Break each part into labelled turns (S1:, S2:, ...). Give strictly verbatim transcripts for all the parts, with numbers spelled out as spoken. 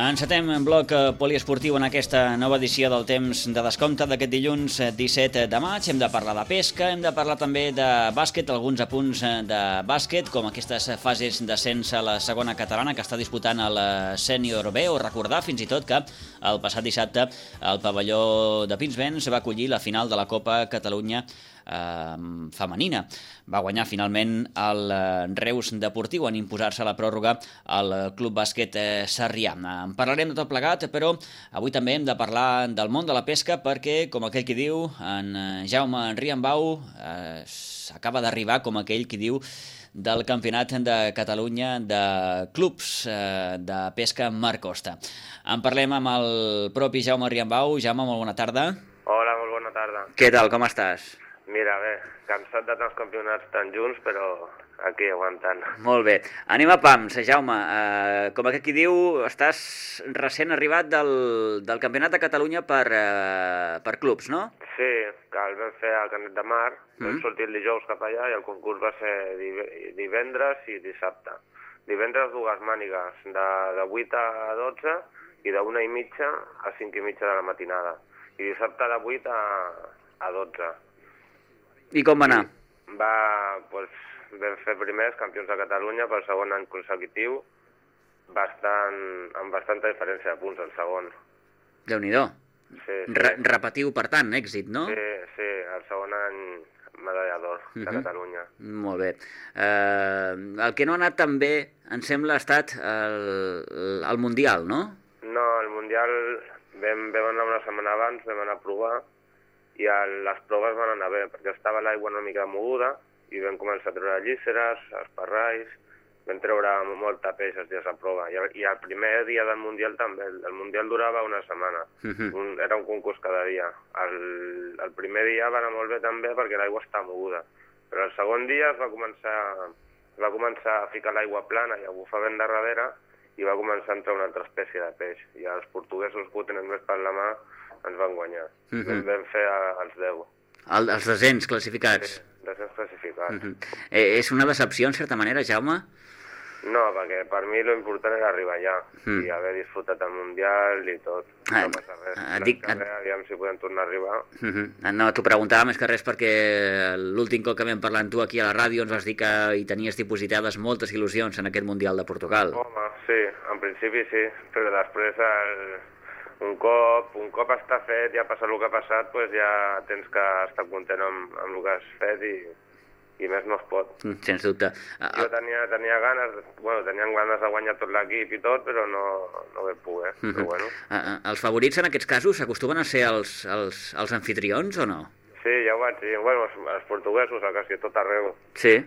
S1: Encetem en bloc poliesportiu en aquesta nova edició del temps de descompte d'aquest dilluns disset de maig. Hem de parlar de pesca, hem de parlar també de bàsquet, alguns apunts de bàsquet, com aquestes fases d'ascens a la segona catalana que està disputant el Sènior B, o recordar fins i tot que el passat dissabte el pavelló de Pinsbens va acollir la final de la Copa Catalunya eh, femenina. Va guanyar finalment el Reus Deportiu en imposar-se a la pròrroga al Club Bàsquet Sarrià. En parlarem de tot plegat, però avui també hem de parlar del món de la pesca perquè, com aquell qui diu, en Jaume Riambau eh, acaba d'arribar, com aquell qui diu, del Campionat de Catalunya de clubs eh, de pesca Mar Costa. En parlem amb el propi Jaume Riambau. Jaume, molt bona tarda.
S2: Hola, molt bona tarda.
S1: Què tal, com estàs?
S2: Mira, bé, cansat de tants campionats tan junts, però aquí aguantant.
S1: Molt bé. Anem a pams, Jaume. Uh, com aquest qui diu, estàs recent arribat del, del Campionat de Catalunya per, uh, per clubs, no?
S2: Sí, que el vam fer al Canet de Mar, mm. vam sortir el dijous cap allà i el concurs va ser divendres i dissabte. Divendres dues mànigues, de, de vuit a dotze i d'una i mitja a cinc i mitja de la matinada. I dissabte de vuit a, a dotze.
S1: I com va anar?
S2: Va, doncs, vam fer primers campions de Catalunya pel segon any consecutiu, bastant, amb bastanta diferència de punts el segon.
S1: Déu-n'hi-do.
S2: Sí, sí.
S1: Re repetiu, per tant, èxit, no?
S2: Sí, sí, el segon any medalla d'or de uh-huh. Catalunya.
S1: Molt bé. Uh, el que no ha anat tan bé, em sembla, ha estat el, el Mundial, no?
S2: No, el Mundial vam, vam anar una setmana abans, vam anar a provar, i el, les proves van anar bé, perquè estava l'aigua una mica moguda, i vam començar a treure llíceres, esparrais, vam treure molta peix els dies a prova. I el, i el primer dia del Mundial també, el, el Mundial durava una setmana, uh-huh. un, era un concurs cada dia. El, el primer dia va anar molt bé també perquè l'aigua estava moguda, però el segon dia es va començar, es va començar a ficar l'aigua plana i a bufar vent de darrere, i va començar a entrar una altra espècie de peix. I els portuguesos que ho tenen més per la mà ens van guanyar. Uh-huh. Vam, vam fer a, els deu.
S1: El, els descents classificats?
S2: Sí, descents classificats. Uh-huh.
S1: eh, és una decepció, en certa manera, Jaume?
S2: No, perquè per mi l'important era arribar allà uh-huh. i haver disfrutat el Mundial i tot. Ah, no passa res. Ah, dic, ah, aviam si podem tornar a arribar.
S1: Uh-huh. No, t'ho preguntava més que res perquè l'últim cop que vam parlar amb tu aquí a la ràdio ens vas dir que hi tenies dipositades moltes il·lusions en aquest Mundial de Portugal.
S2: Home, sí, en principi sí, però després el... Un cop, un cop està fet, ja ha passat el que ha passat, doncs ja tens que estar content amb, amb el que has fet i, i més no es pot.
S1: Sens dubte.
S2: Jo tenia, tenia ganes, bueno, tenien ganes de guanyar tot l'equip i tot, però no, no vam poder. Uh-huh. Però bueno.
S1: Els favorits en aquests casos acostumen a ser els, els, els anfitrions o no?
S2: Sí, ja ho vaig dir. Bueno, els, els portuguesos, a quasi tot arreu.
S1: Sí.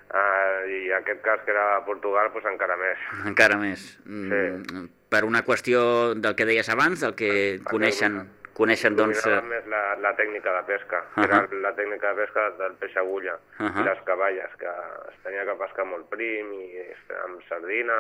S2: Uh, I aquest cas que era Portugal, doncs encara més.
S1: Encara més.
S2: Sí.
S1: Mm, per una qüestió del que deies abans, del que Perquè coneixen, coneixen doncs...
S2: Dominaven més la, la tècnica de pesca, uh-huh. que era la tècnica de pesca del peix agulla, uh-huh. i les cavalles, que es tenia que pescar molt prim i amb sardina,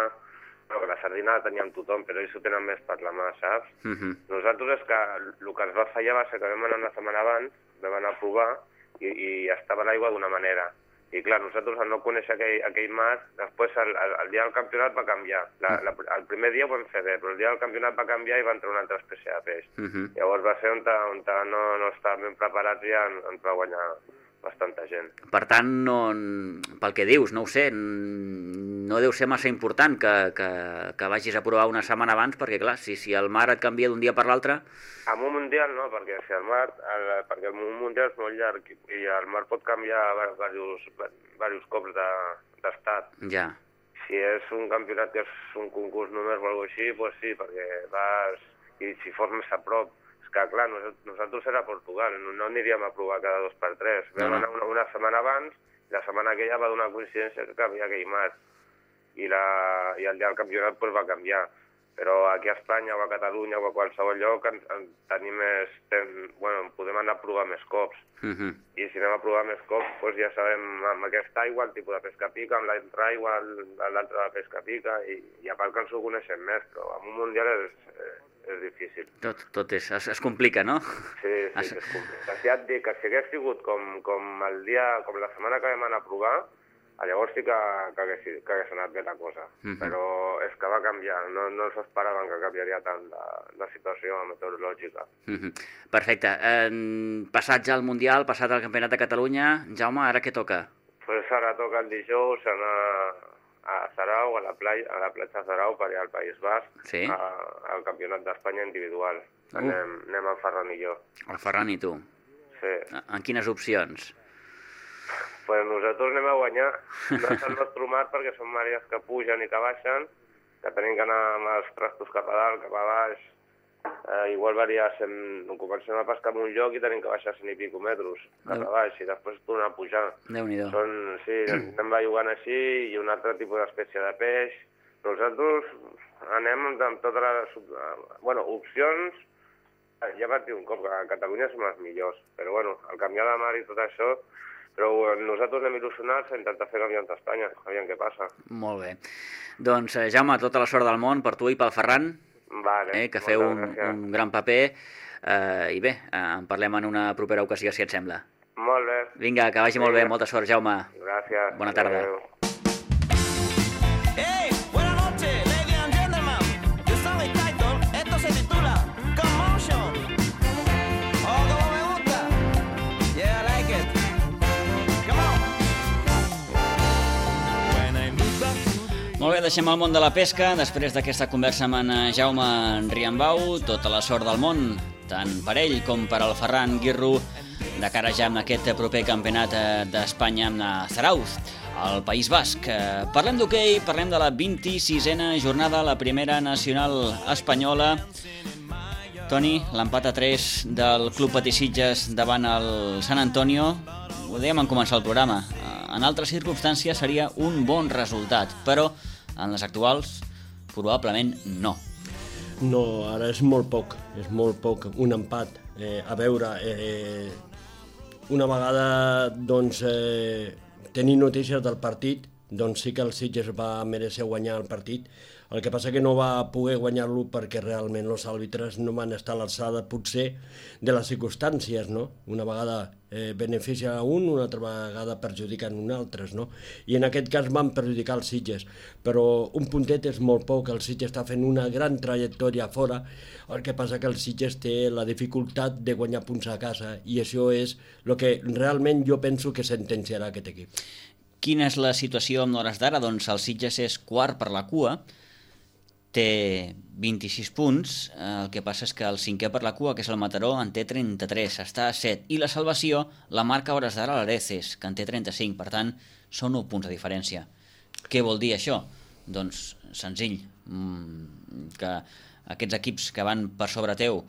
S2: però que la sardina la teníem tothom, però ells ho tenen més per la mà, saps? Uh-huh. Nosaltres és que el que ens va fallar va ser que vam anar una setmana abans, vam anar a provar, i, i estava l'aigua d'una manera. I clar, nosaltres al no conèixer aquell, aquell mar, després el, el, el dia del campionat va canviar. La, la, el primer dia ho vam fer bé, però el dia del campionat va canviar i va entrar una altra espècie de peix. Uh-huh. Llavors va ser on, on no, no estàvem ben preparats i ja ens va guanyar bastanta gent.
S1: Per tant, no, pel que dius, no ho sé, no deu ser massa important que, que, que vagis a provar una setmana abans, perquè clar, si, si el mar et canvia d'un dia per l'altre...
S2: Amb un mundial no, perquè si el mar, el, perquè el mundial és molt llarg i el mar pot canviar diversos, diversos cops d'estat.
S1: De, ja.
S2: Si és un campionat que és un concurs només o alguna cosa així, doncs sí, perquè vas... I si fos més a prop, és que clar, nosaltres era a Portugal, no, no aniríem a provar cada dos per tres. Vam no, no. anar una, una setmana abans, i la setmana aquella va donar coincidència que canvia aquell mar. I, la, i el dia del campionat pues, va canviar. Però aquí a Espanya o a Catalunya o a qualsevol lloc en, en tenim més... Ten, bueno, podem anar a provar més cops. Uh-huh. I si anem a provar més cops, doncs ja sabem amb aquesta aigua el tipus de pesca pica, amb l'altra aigua l'altra de pesca pica, i, i a part que ens ho coneixem més, però amb un mundial és, és difícil.
S1: Tot, tot és, es, es complica, no?
S2: Sí, sí, es... es complica. Si ja et dic que si hagués sigut com, com el dia, com la setmana que vam anar a provar, Llavors sí que, que, hagués, que hagués anat bé la cosa, uh-huh. però és que va canviar, no, no s'esperaven que canviaria tant la, la situació meteorològica.
S1: Uh-huh. Perfecte. Eh, passat ja al Mundial, passat al Campionat de Catalunya, Jaume, ara què toca?
S2: Pues ara toca el dijous anar a Sarau, a la, playa, a la platja Sarau, per allà al País Basc, sí? a, al Campionat d'Espanya individual. Uh. Anem, anem el Ferran i jo.
S1: El Ferran i tu?
S2: Sí.
S1: En quines opcions?
S2: Pues nosaltres anem a guanyar. No és el nostre mar perquè són màrees que pugen i que baixen, que tenim que anar amb els trastos cap a dalt, cap a baix. Eh, igual varia, sem... comencem a pescar en un lloc i tenim que baixar cent i pico metres cap a baix i després tornar a pujar.
S1: Déu-n'hi-do.
S2: Són, sí, anem jugant així i un altre tipus d'espècie de peix. Nosaltres anem amb totes les... Bueno, opcions, ja vaig dir un cop que a Catalunya som els millors, però bueno, al canviar de mar i tot això, però nosaltres anem il·lusionats a intentar fer campionat d'Espanya, aviam què passa.
S1: Molt bé. Doncs, Jaume, tota la sort del món per tu i pel Ferran,
S2: vale,
S1: eh, que feu un, un gran paper, eh, i bé, eh, en parlem en una propera ocasió, si et sembla.
S2: Molt bé.
S1: Vinga, que vagi Vinga. molt bé, molta sort, Jaume.
S2: Gràcies.
S1: Bona tarda. Adeu. Molt bé, deixem el món de la pesca. Després d'aquesta conversa amb en Jaume Riambau, tota la sort del món, tant per ell com per al Ferran Guirru, de cara ja amb aquest proper campionat d'Espanya amb Zarauz, al País Basc. Parlem d'hoquei, parlem de la vint-i-sisena jornada, la primera nacional espanyola. Toni, l'empat a tres del Club Patí-Sitges davant el Sant Antonio, ho dèiem en començar el programa, en altres circumstàncies seria un bon resultat, però en les actuals probablement no.
S3: No, ara és molt poc, és molt poc, un empat. Eh, a veure, eh, una vegada doncs, eh, tenint notícies del partit, doncs sí que el Sitges va mereixer guanyar el partit. El que passa que no va poder guanyar-lo perquè realment els àrbitres no van estar a l'alçada, potser, de les circumstàncies, no? Una vegada eh, beneficia a un, una altra vegada perjudiquen un altres, no? I en aquest cas van perjudicar els Sitges, però un puntet és molt poc, el Sitges està fent una gran trajectòria fora, el que passa que el Sitges té la dificultat de guanyar punts a casa, i això és el que realment jo penso que sentenciarà aquest equip.
S1: Quina és la situació amb l'hores d'ara? Doncs el Sitges és quart per la cua, té vint-i-sis punts, el que passa és que el cinquè per la cua, que és el Mataró, en té trenta-tres, està a set, i la salvació la marca a hores d'ara l'Areces, que en té trenta-cinc, per tant, són nou punts de diferència. Què vol dir això? Doncs senzill, que aquests equips que van per sobre teu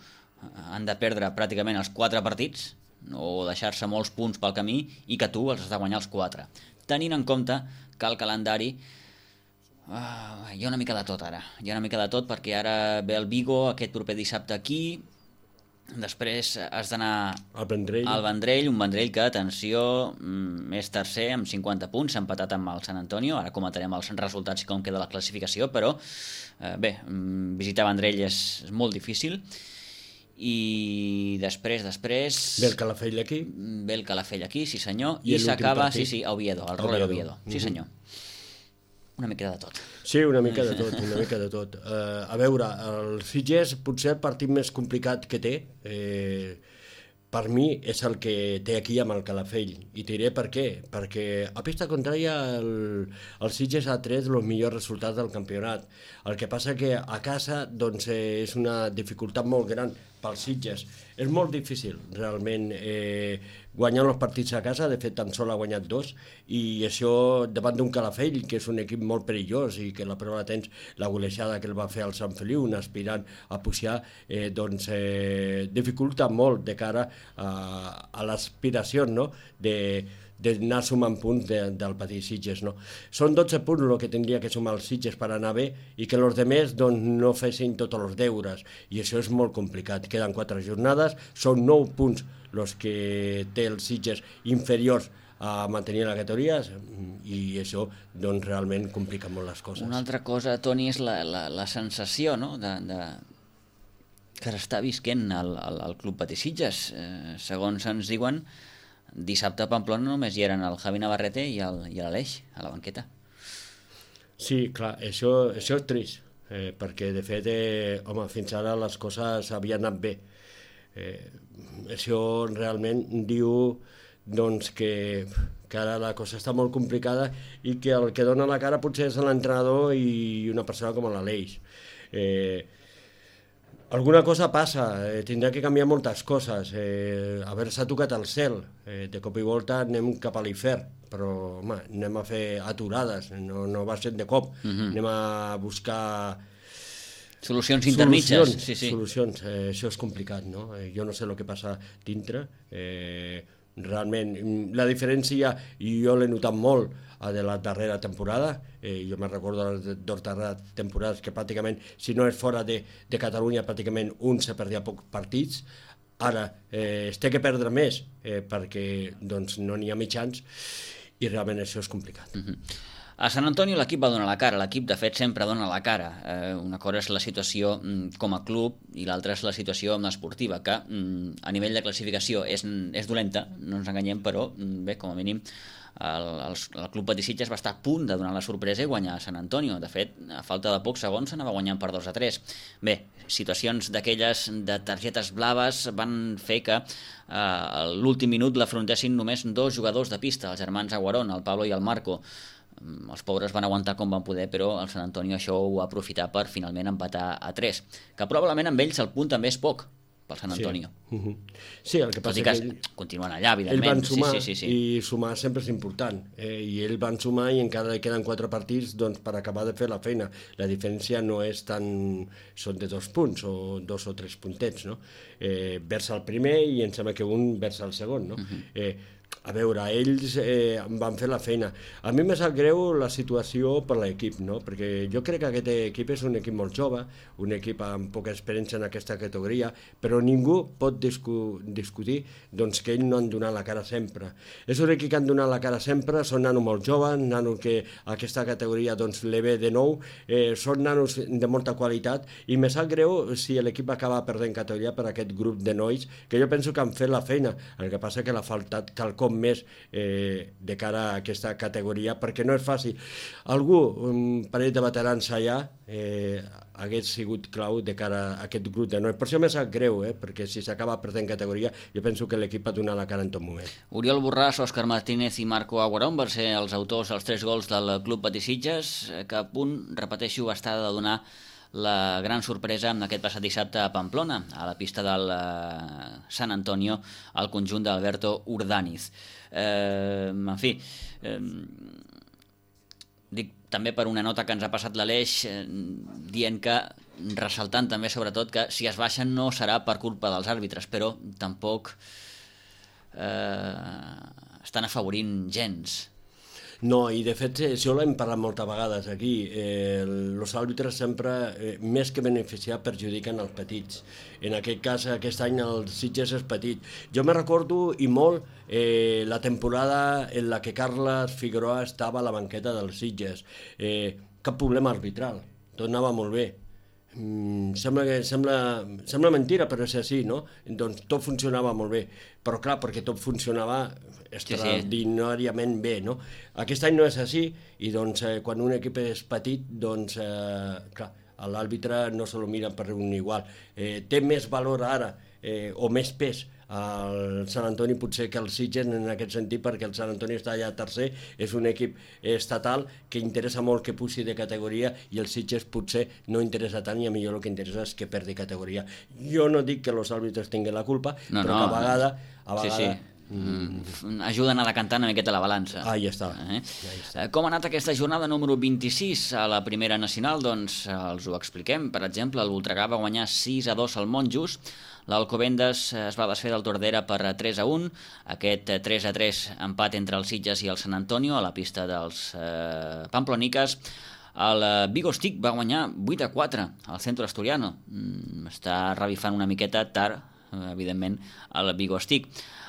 S1: han de perdre pràcticament els quatre partits, o deixar-se molts punts pel camí, i que tu els has de guanyar els quatre. Tenint en compte que el calendari Uh, hi ha una mica de tot ara, hi ha una mica de tot perquè ara ve el Vigo aquest proper dissabte aquí, després has d'anar
S3: al Vendrell.
S1: al Vendrell, un Vendrell que, atenció, és tercer amb cinquanta punts, s'ha empatat amb el Sant Antonio, ara comentarem els resultats i com queda la classificació, però uh, bé, visitar Vendrell és, és molt difícil. I després, després...
S3: Ve el Calafell aquí.
S1: Ve el Calafell aquí, sí senyor, i, i s'acaba, sí, sí, a Oviedo, al Roller Oviedo, sí senyor. Una mica de tot.
S3: Sí, una mica de tot, una mica de tot. Uh, a veure, el Sitges potser el partit més complicat que té, eh, per mi, és el que té aquí amb el Calafell. I te diré per què. Perquè a pista contrària el, el Sitges ha tret els millors resultats del campionat. El que passa que a casa doncs, eh, és una dificultat molt gran pels Sitges. És molt difícil, realment, eh, guanyar els partits a casa. De fet, tan sol ha guanyat dos, i això davant d'un Calafell, que és un equip molt perillós i que la prova de temps, la golejada que el va fer al Sant Feliu, un aspirant a pujar, eh, doncs eh, dificulta molt de cara a, a l'aspiració, no?, de d'anar sumant punts de, del Patí-Sitges, no? Són dotze punts el que tindria que sumar els Sitges per anar bé i que els altres doncs, no fessin tots els deures, i això és molt complicat. Queden quatre jornades, són nou punts els que té els Sitges inferiors a mantenir la categoria, i això doncs, realment complica molt les coses.
S1: Una altra cosa, Toni, és la, la, la sensació, no?, de, de... que s'està visquent al, al, al Club Patí-Sitges. Eh, segons ens diuen, dissabte a Pamplona només hi eren el Javi Navarrete i l'Aleix, a la banqueta.
S3: Sí, clar, això, això és trist, eh, perquè de fet, eh, home, fins ara les coses havien anat bé. Eh, això realment diu doncs, que, que ara la cosa està molt complicada i que el que dona la cara potser és l'entrenador i una persona com l'Aleix. Eh, Alguna cosa passa, eh, tindrà que canviar moltes coses. Eh, haver-se tocat el cel, eh, de cop i volta anem cap a l'infern, però home, anem a fer aturades, no, no va ser de cop, uh-huh. anem a buscar
S1: solucions intermitges.
S3: Solucions,
S1: sí, sí.
S3: solucions. Eh, això és complicat, no? Eh, jo no sé el que passa dintre, eh, realment, la diferència, i jo l'he notat molt, de la darrera temporada, eh, jo me'n recordo de les dues darreres temporades que pràcticament, si no és fora de, de Catalunya, pràcticament un se perdia pocs partits. Ara eh, es té que perdre més eh, perquè doncs, no n'hi ha mitjans i realment això és complicat.
S1: Uh-huh. A Sant Antoni l'equip va donar la cara, l'equip de fet sempre dona la cara. Eh, una cosa és la situació mm, com a club i l'altra és la situació esportiva, que mm, a nivell de classificació és, és dolenta, no ens enganyem, però mm, bé, com a mínim el, el, el club Patí Sitges va estar a punt de donar la sorpresa i guanyar a Sant Antonio. De fet, a falta de pocs segons s'anava guanyant per dos a tres. Bé, situacions d'aquelles de targetes blaves van fer que eh, a l'últim minut l'afrontessin només dos jugadors de pista, els germans Aguarón, el Pablo i el Marco. Els pobres van aguantar com van poder, però el Sant Antonio això ho va aprofitar per finalment empatar a tres, que probablement amb ells el punt també és poc pel Sant Antonio.
S3: Sí, uh-huh. Sí, el que passa
S1: que,
S3: que ell,
S1: continuen allà, evidentment.
S3: Ell van sumar,
S1: sí, sí, sí, sí.
S3: i sumar sempre és important. Eh, I ell van sumar i encara queden quatre partits doncs, per acabar de fer la feina. La diferència no és tan... són de dos punts o dos o tres puntets, no? Eh, vers el primer i em sembla que un vers el segon, no? Uh-huh. Eh, a veure, ells eh, van fer la feina. A mi me sap greu la situació per l'equip, no? Perquè jo crec que aquest equip és un equip molt jove, un equip amb poca experiència en aquesta categoria, però ningú pot discu discutir doncs, que ells no han donat la cara sempre. És un equip que han donat la cara sempre, són nanos molt joves, nanos que a aquesta categoria doncs, le ve de nou, eh, són nanos de molta qualitat, i me sap greu si l'equip acaba perdent categoria per aquest grup de nois, que jo penso que han fet la feina, el que passa que l'ha faltat quelcom més eh, de cara a aquesta categoria, perquè no és fàcil. Algú, un parell de veterans allà, eh, hagués sigut clau de cara a aquest grup de nois. Per això m'ha sap greu, eh, perquè si s'acaba perdent categoria, jo penso que l'equip ha donat la cara en tot moment.
S1: Oriol Borràs, Òscar Martínez i Marco Aguarón van ser els autors dels tres gols del Club Patí Sitges, que a punt, repeteixo, va estar de donar la gran sorpresa en aquest passat dissabte a Pamplona, a la pista del eh, Sant Antonio, al conjunt d'Alberto Urdániz. Eh, en fi, eh, dic també per una nota que ens ha passat l'Aleix, eh, dient que, ressaltant també sobretot que si es baixen no serà per culpa dels àrbitres, però tampoc eh, estan afavorint gens.
S3: No, i de fet això l'hem parlat moltes vegades aquí. Eh, els àrbitres sempre, eh, més que beneficiar, perjudiquen els petits. En aquest cas, aquest any el Sitges és petit. Jo me recordo i molt eh, la temporada en la que Carles Figueroa estava a la banqueta del Sitges. Eh, cap problema arbitral, tot anava molt bé. Mm, sembla, que, sembla, sembla mentira, però és així, no? Doncs tot funcionava molt bé, però clar, perquè tot funcionava extraordinàriament bé, no? Aquest any no és així, i doncs eh, quan un equip és petit, doncs eh, clar, l'àrbitre no se lo mira per un igual. Eh, té més valor ara, eh, o més pes, el Sant Antoni potser que el Sitges en aquest sentit, perquè el Sant Antoni està allà tercer, és un equip estatal que interessa molt que pugi de categoria, i el Sitges potser no interessa tant, i a millor el que interessa és que perdi categoria. Jo no dic que els àrbitres tinguin la culpa, no, però no, que a vegada, a vegada
S1: sí, sí. Mm. ajuden a decantar una miqueta la balança.
S3: Ah, ja està.
S1: Eh? Ja està. Com ha anat aquesta jornada número vint-i-sis a la primera nacional? Doncs els ho expliquem. Per exemple, el Voltregà va guanyar sis a dos al Monjos, l'Alcobendas es va desfer del Tordera per tres a un, aquest tres a tres empat entre el Sitges i el Sant Antonio a la pista dels eh, Pamploniques. El Vigostic va guanyar vuit a quatre al Centro Asturiano. Mm, està revifant una miqueta tard, evidentment, el Vigostic.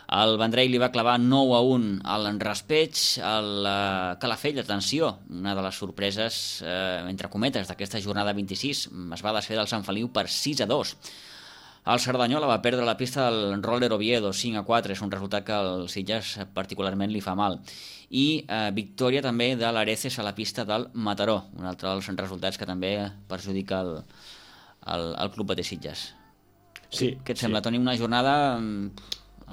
S1: El Vendrell li va clavar nou a un al Raspeig. El Calafell, atenció, una de les sorpreses, eh, entre cometes, d'aquesta jornada vint-i-sis, es va desfer del Sant Feliu per sis a dos. El Cerdanyola va perdre la pista del Roller Oviedo cinc a quatre, és un resultat que al Sitges particularment li fa mal. I eh, victòria també de l'Areces a la pista del Mataró, un altre dels resultats que també perjudica el, el, el club de Sitges.
S3: Sí,
S1: Què et sembla,
S3: sí.
S1: Toni, una jornada amb,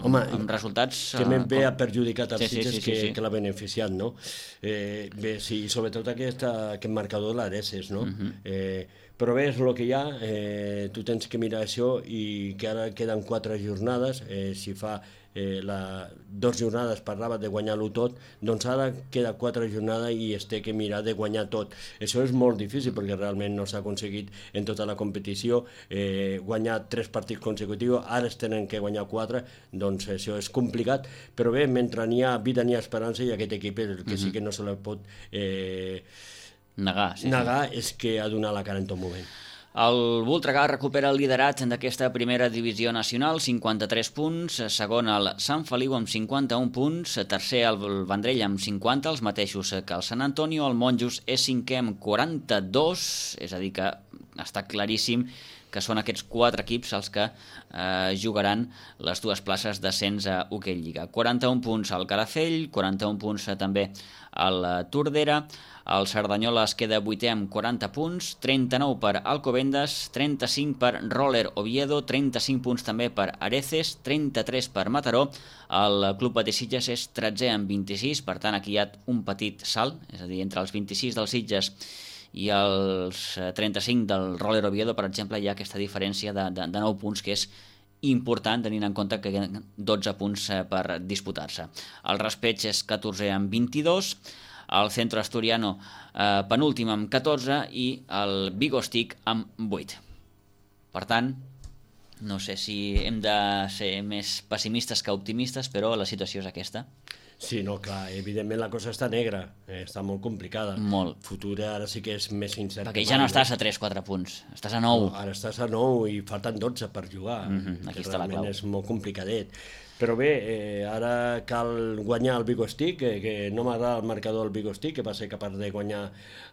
S3: Home,
S1: amb resultats...
S3: que més bé
S1: com...
S3: ha perjudicat els
S1: sí, sí,
S3: Sitges
S1: sí, sí,
S3: que,
S1: sí.
S3: que l'ha beneficiat, no? Eh, bé, sí, sobretot aquesta, aquest marcador de l'Areces, no? Uh-huh. eh, però bé, és el que hi ha, eh, tu tens que mirar això i que ara queden quatre jornades, eh, si fa eh, la, dos jornades parlava de guanyar-lo tot, doncs ara queda quatre jornades i es té que mirar de guanyar tot. Això és molt difícil perquè realment no s'ha aconseguit en tota la competició eh, guanyar tres partits consecutius, ara es tenen que guanyar quatre, doncs això és complicat, però bé, mentre n'hi ha vida n'hi ha esperança i aquest equip el que sí que no se la pot eh,
S1: negar, sí,
S3: negar
S1: sí.
S3: és que ha donat la cara en tot moment.
S1: El Voltregà recupera el liderat d'aquesta primera divisió nacional, cinquanta-tres punts, segon el Sant Feliu amb cinquanta-un punts, tercer el Vendrell amb cinquanta, els mateixos que el Sant Antonio, el Monjos és cinquè amb quaranta-dos, és a dir que està claríssim que són aquests quatre equips els que eh, jugaran les dues places d'ascens a Hoquei Lliga. quaranta-un punts al Calafell, quaranta-un punts també al Tordera, el Cerdanyola es queda vuitè amb quaranta punts, trenta-nou per Alcobendas, trenta-cinc per Roller Oviedo, trenta-cinc punts també per Areces, trenta-tres per Mataró, el Club Patí Sitges és tretzè amb vint-i-sis, per tant aquí hi ha un petit salt, és a dir, entre els vint-i-sis dels Sitges i els trenta-cinc del Roller Oviedo, per exemple, hi ha aquesta diferència de, de, de nou punts que és important tenint en compte que hi ha dotze punts per disputar-se. El Raspeig és catorzè amb vint-i-dos, el Centro Asturiano eh, penúltim amb catorze i el Vigostic amb vuit. Per tant, no sé si hem de ser més pessimistes que optimistes, però la situació és aquesta.
S3: Sí, no, clar, evidentment la cosa està negra, eh, està molt complicada.
S1: Molt.
S3: Futur ara sí que és més incert.
S1: Perquè ja no estàs a tres quatre punts, estàs a nou.
S3: No, ara estàs a nou i falten dotze per jugar,
S1: Mm-hmm, aquí
S3: que
S1: està la
S3: realment
S1: clau.
S3: és molt complicadet. Però bé, eh, ara cal guanyar el Vigostic, eh, que no m'agrada el marcador del Vigostic, que va ser capaç de guanyar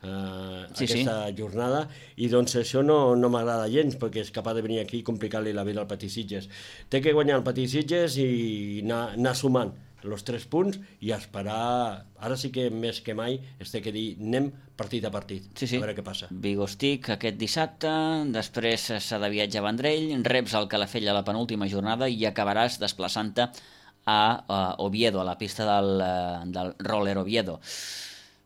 S3: eh,
S1: Sí,
S3: aquesta
S1: sí.
S3: jornada, i doncs això no, no m'agrada gens, perquè és capaç de venir aquí i complicar-li la vida al Patí Sitges. Té que guanyar el Patí Sitges i anar, anar sumant els tres punts i esperar, ara sí que més que mai es té que dir anem partit a partit,
S1: Sí, sí.
S3: a veure què passa.
S1: Vigostic aquest dissabte, després s'ha de viatjar a Vendrell, reps el Calafell a la penúltima jornada i acabaràs desplaçant-te a, a Oviedo, a la pista del, eh, del Roller Oviedo.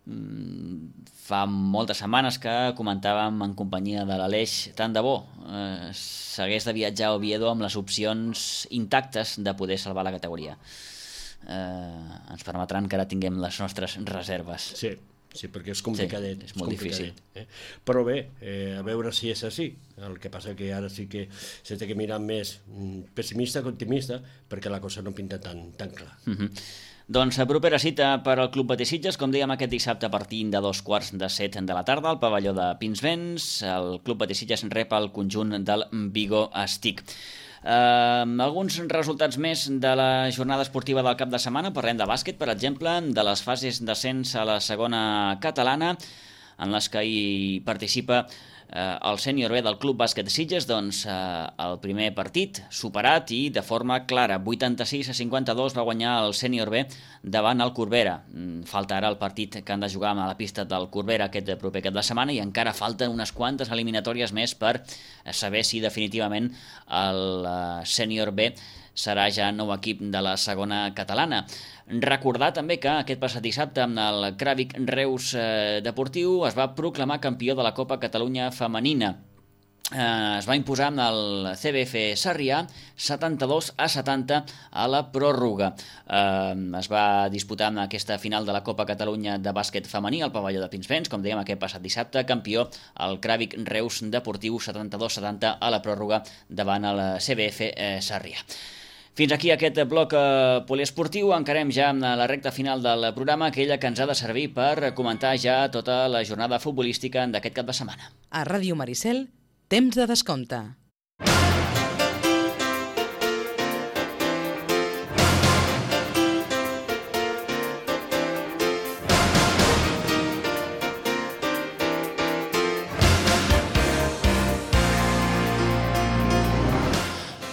S1: Mm, fa moltes setmanes que comentàvem en companyia de l'Aleix, tant de bo eh, s'hagués de viatjar a Oviedo amb les opcions intactes de poder salvar la categoria. Eh, ens permetran que ara tinguem les nostres reserves.
S3: Sí, sí, perquè és complicadet.
S1: Sí, és molt
S3: complicadet, eh? Però bé, eh, a veure si és així. El que passa que ara sí que s'ha de mirar més mm, pessimista que optimista, perquè la cosa no pinta tan, tan clar.
S1: Uh-huh. Doncs a propera cita per al Club Patí Sitges, com dèiem aquest dissabte a partir de dos quarts de set de la tarda al pavelló de Pinsbens. El Club Patí Sitges rep el conjunt del Vigo Stick. Uh, alguns resultats més de la jornada esportiva del cap de setmana. Parlem de bàsquet, per exemple, de les fases d'ascens a la segona catalana, en les que hi participa eh, el sènior B del Club Bàsquet Sitges. Doncs eh, el primer partit superat i de forma clara, vuitanta-sis a cinquanta-dos va guanyar el sènior B davant el Corbera. Falta ara el partit que han de jugar a la pista del Corbera aquest proper cap de setmana i encara falten unes quantes eliminatòries més per saber si definitivament el uh, sènior B serà ja nou equip de la segona catalana. Recordar també que aquest passat dissabte amb el Cràvic Reus eh, Deportiu es va proclamar campió de la Copa Catalunya Femenina. Eh, es va imposar amb el C B F Sarrià setanta-dos a setanta a la pròrroga. Eh, es va disputar amb aquesta final de la Copa Catalunya de bàsquet femení al pavelló de Pinsbens, com dèiem aquest passat dissabte, campió el Cràvic Reus Deportiu setanta-dos a setanta a la pròrroga davant el C B F eh, Sarrià. Fins aquí aquest bloc eh, poliesportiu. Encarem ja amb la recta final del programa, aquella que ens ha de servir per comentar ja tota la jornada futbolística d'aquest cap de setmana.
S4: A Ràdio Maricel, temps de descompte.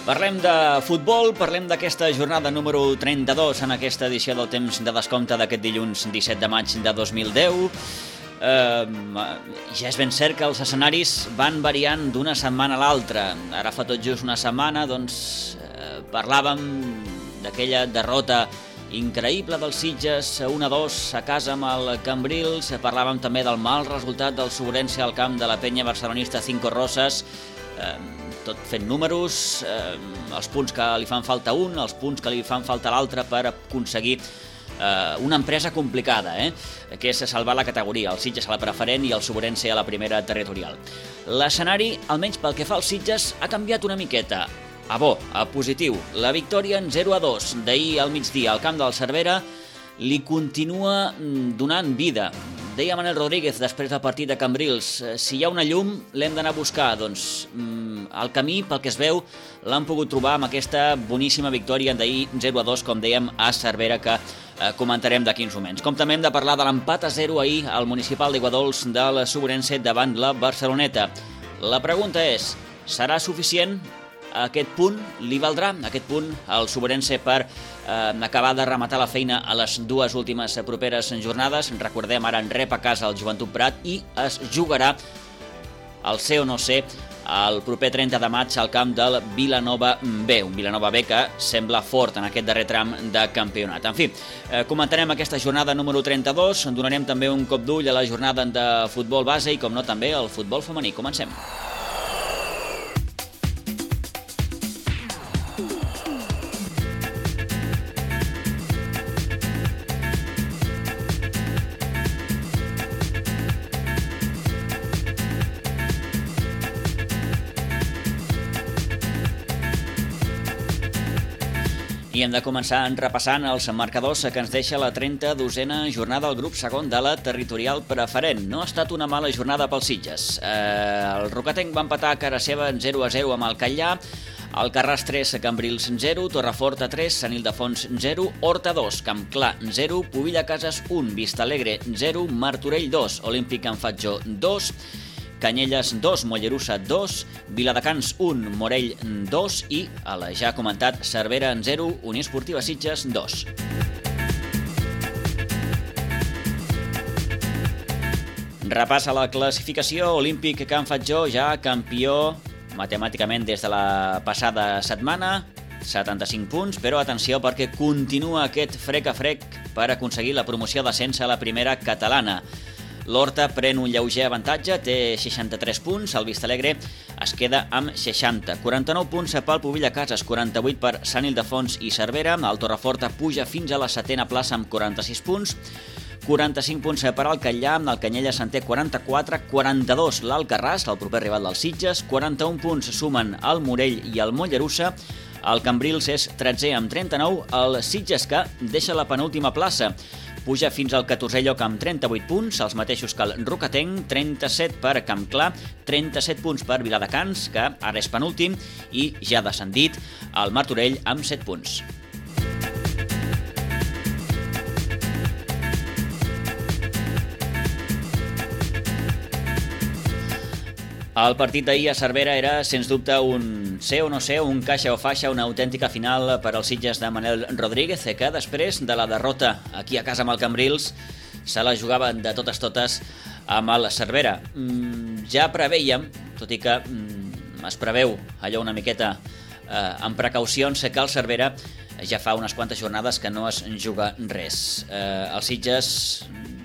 S1: Parlem de futbol, parlem d'aquesta jornada número trenta-dos en aquesta edició del temps de descompte d'aquest dilluns disset de maig de dos mil deu. Eh, ja és ben cert que els escenaris van variant d'una setmana a l'altra. Ara fa tot just una setmana doncs, eh, parlàvem d'aquella derrota increïble dels Sitges, un a dos a casa amb el Cambrils. Parlàvem també del mal resultat del Sobrense al camp de la penya barcelonista Cinco Roses. Eh, tot fent números, eh, els punts que li fan falta un, els punts que li fan falta l'altre per aconseguir eh, una empresa complicada, eh, que és salvar la categoria, el Sitges a la preferent i el Sobrense a la primera territorial. L'escenari, almenys pel que fa als Sitges, ha canviat una miqueta. A bo, a positiu. La victòria en zero a dos d'ahir al migdia al camp del Cervera li continua donant vida. Deia Manel Rodríguez després del partit de Cambrils, si hi ha una llum l'hem d'anar a buscar. Doncs el camí, pel que es veu, l'han pogut trobar amb aquesta boníssima victòria d'ahir zero a dos, com dèiem, a Cervera, que eh, comentarem d'aquí uns moments. Com també hem de parlar de l'empat a zero ahir al municipal d'Iguadols del Sobrense davant la Barceloneta. La pregunta és, serà suficient? Aquest punt li valdrà, aquest punt al Sobrense per eh, acabar de rematar la feina a les dues últimes properes jornades. Recordem, ara en rep a casa el Joventut Prat i es jugarà el ser o no ser el proper trenta de maig al camp del Vilanova B, un Vilanova B que sembla fort en aquest darrer tram de campionat. En fi, eh, comentarem aquesta jornada número trenta-dos, donarem també un cop d'ull a la jornada de futbol base i, com no, també el futbol femení. Comencem. I hem de començar repassant els marcadors que ens deixa la trenta-dosena jornada al grup segon de la territorial preferent. No ha estat una mala jornada pels Sitges. Eh, el Rocatenc va empatar a cara seva en zero a zero amb el Catllà, Alcarràs tres, Cambrils zero, Torrefort tres, Sant Ildefons zero, Horta dos, Campclar zero, Pubilla Cases un, Vistalegre zero, Martorell dos, Olímpic Can Fatjó dos, Canyelles dos, Mollerussa dos, Viladecans un, Morell dos i, a la ja comentat, Cervera zero, Unió Esportiva Sitges dos. Repassa la classificació, Olímpic Can Fatjó ja campió matemàticament des de la passada setmana, setanta-cinc punts, però atenció perquè continua aquest frec a frec per aconseguir la promoció d'ascens a la primera catalana. L'Horta pren un lleuger avantatge, té seixanta-tres punts, el Vistalegre es queda amb seixanta. quaranta-nou punts pel Pubilla Cases, quaranta-vuit per Sant Ildefons i Cervera, el Torrefort puja fins a la setena plaça amb quaranta-sis punts, quaranta-cinc punts per al Catllà, el Canyelles en té quaranta-quatre, quaranta-dos l'Alcarràs, el proper rival dels Sitges, quaranta-un punts sumen el Morell i el Mollerussa, el Cambrils és tretzè amb trenta-nou, el Sitges que deixa la penúltima plaça, puja fins al catorzè lloc amb trenta-vuit punts, els mateixos que el Rocatenc, trenta-set per Campclar, trenta-set punts per Viladecans, que ara és penúltim, i ja descendit el Martorell amb set punts. El partit d'ahir a Cervera era, sens dubte, un ser o no ser, un caixa o faixa, una autèntica final per als Sitges de Manel Rodríguez, que després de la derrota aquí a casa amb el Cambrils se la jugaven de totes totes amb el Cervera. Mm, ja preveiem, tot i que mm, es preveu allò una miqueta eh, amb precaucions, que el Cervera ja fa unes quantes jornades que no es juga res. Eh, els Sitges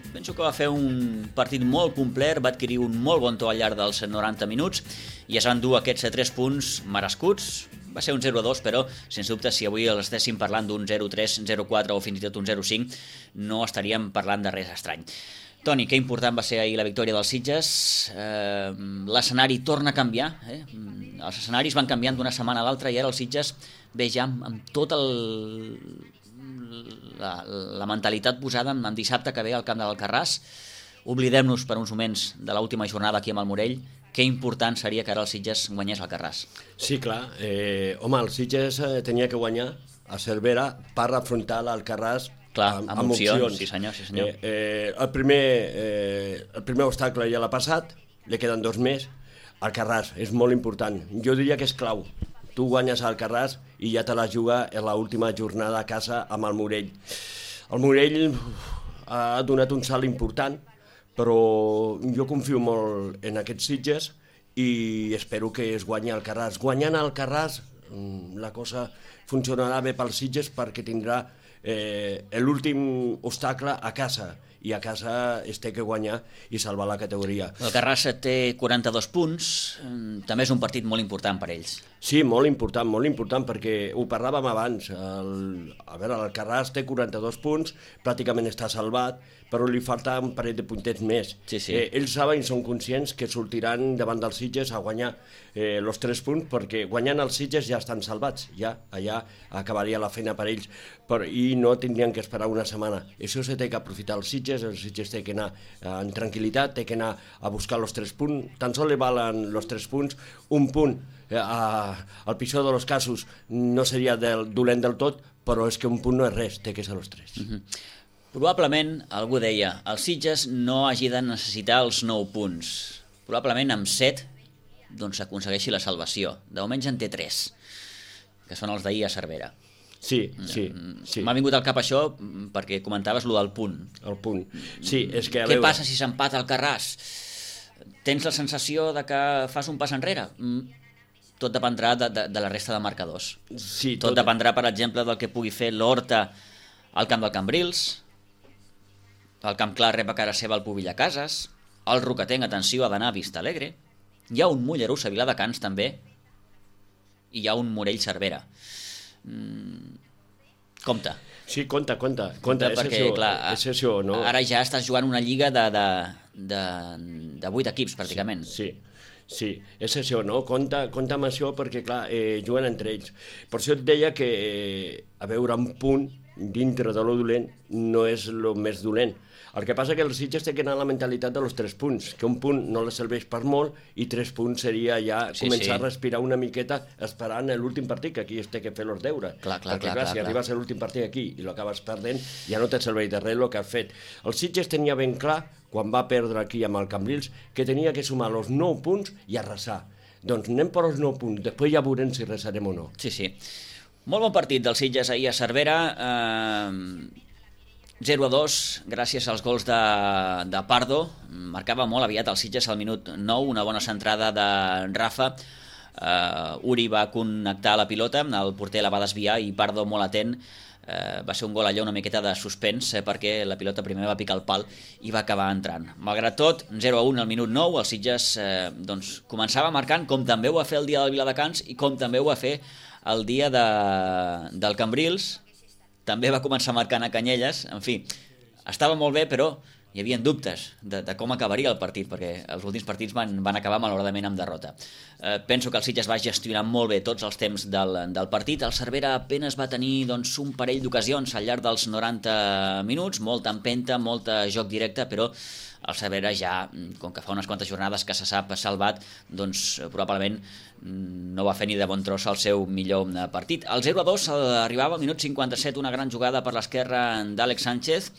S1: penso que va fer un partit molt complet, va adquirir un molt bon to al llarg dels noranta minuts i es van dur aquests tres punts merescuts. Va ser un zero a dos, però, sens dubte, si avui els estéssim parlant d'un zero a tres, zero a quatre o fins i tot un zero a cinc, no estaríem parlant de res estrany. Toni, que important va ser ahir la victòria dels Sitges. Eh, l'escenari torna a canviar. Eh? Els escenaris van canviant d'una setmana a l'altra i ara els Sitges ve ja amb, amb tot el... La, la mentalitat posada en dissabte que ve al camp de l'Alcarràs. Oblidem-nos per uns moments de l'última jornada aquí amb el Morell. Que important seria que ara el Sitges guanyés l'Alcarràs.
S3: Sí, clar. Eh, home, el Sitges eh, tenia que guanyar a Cervera per afrontar l'Alcarràs
S1: clar,
S3: amb,
S1: amb, amb opcions. opcions. Sí, senyor, sí, senyor.
S3: Eh, eh, el, primer, eh, el primer obstacle ja l'ha passat, li queden dos més. Alcarràs és molt important. Jo diria que és clau. tu guanyes al Alcarràs i ja te la juga en l'última jornada a casa amb el Morell. El Morell ha donat un salt important, però jo confio molt en aquests Sitges i espero que es guanyi el Alcarràs. Guanyant el Alcarràs la cosa funcionarà bé pels Sitges perquè tindrà eh, l'últim obstacle a casa, i a casa es té que guanyar i salvar la categoria.
S1: El Alcarràs té quaranta-dos punts, també és un partit molt important per ells.
S3: Sí, molt important, molt important, perquè ho parlàvem abans. El, a veure, l'Alcarràs té quaranta-dos punts, pràcticament està salvat, però li falta un parell de puntets més.
S1: Sí, sí.
S3: Eh, ells saben i són conscients que sortiran davant dels Sitges a guanyar eh, els tres punts, perquè guanyant els Sitges ja estan salvats, ja allà acabaria la feina per ells, però, i no tindrien que esperar una setmana. Això se té que aprofitar els Sitges, els Sitges té que anar eh, en tranquil·litat, té que anar a buscar els tres punts, tan sols li valen els tres punts, un punt eh, a, al pitjor dels casos no seria del, dolent del tot, però és que un punt no és res, té que ser els tres.
S1: Mm-hmm. Probablement, algú deia, el Sitges no hagi de necessitar els nou punts. Probablement amb set doncs s'aconsegueixi la salvació. De moment en té tres, que són els d'ahir a Cervera.
S3: Sí, sí, sí.
S1: M'ha vingut al cap això perquè comentaves lo del punt.
S3: El punt. Sí, és que a
S1: Què
S3: veure...
S1: passa si s'empata el Alcarràs? Tens la sensació de que fas un pas enrere? Tot dependrà de, de, de la resta de marcadors.
S3: Sí,
S1: tot... tot dependrà, per exemple, del que pugui fer l'Horta al camp del Cambrils. El Camp Clar rep a cara seva el Pubilla Cases. El Rocatenc, atenció, ha d'anar a Vista Alegre. Hi ha un Mollerussa a Viladecans també. I hi ha un Morell Cervera. Mm, compte.
S3: Sí, compte, compte. compte és
S1: perquè,
S3: això,
S1: clar,
S3: és això, no?
S1: Ara ja estàs jugant una lliga de, de, de, de vuit equips, pràcticament.
S3: Sí, sí, sí, és això, no? Compte, compte amb això perquè, clar, eh, juguen entre ells. Per això et deia que, eh, a veure, un punt dintre de lo dolent no és el més dolent. El que passa que els Sitges té que anar a la mentalitat dels tres punts, que un punt no les serveix per molt i tres punts seria ja
S1: sí,
S3: començar
S1: sí.
S3: a respirar una miqueta esperant l'últim partit, que aquí es té que fer els deures.
S1: Clar, clar,
S3: Perquè,
S1: clar,
S3: clar,
S1: clar,
S3: si
S1: clar.
S3: arribes a l'últim partit aquí i l'acabes perdent, ja no te serveix de res el que has fet. El Sitges tenia ben clar, quan va perdre aquí amb el Cambrils, que tenia que sumar els nou punts i arrasar. Doncs anem per els nou punts, després ja veurem si arrasarem o no.
S1: Sí, sí. Molt bon partit del Sitges ahir a Cervera. Eh... zero a dos, gràcies als gols de, de Pardo. Marcava molt aviat el Sitges al minut nou, una bona centrada de Rafa. Uh, Uri va connectar la pilota, el porter la va desviar i Pardo, molt atent, uh, va ser un gol allò una miqueta de suspens, eh, perquè la pilota primer va picar el pal i va acabar entrant. Malgrat tot, zero a un al minut nou, el Sitges eh, doncs, començava marcant, com també ho va fer el dia del Viladecans i com també ho va fer el dia de, del Cambrils. També va començar marcant a Canyelles. En fi, estava molt bé, però hi havia dubtes de, de com acabaria el partit, perquè els últims partits van, van acabar malauradament amb derrota. Eh, penso que el Sitges va gestionar molt bé tots els temps del, del partit. El Cervera apenas va tenir doncs, un parell d'ocasions al llarg dels noranta minuts, molta empenta, molta joc directe, però el Cervera ja, com que fa unes quantes jornades que se sap salvat, doncs probablement no va fer ni de bon tros el seu millor partit. El zero a dos arribava al minut cinquanta-set, una gran jugada per l'esquerra d'Àlex Sánchez.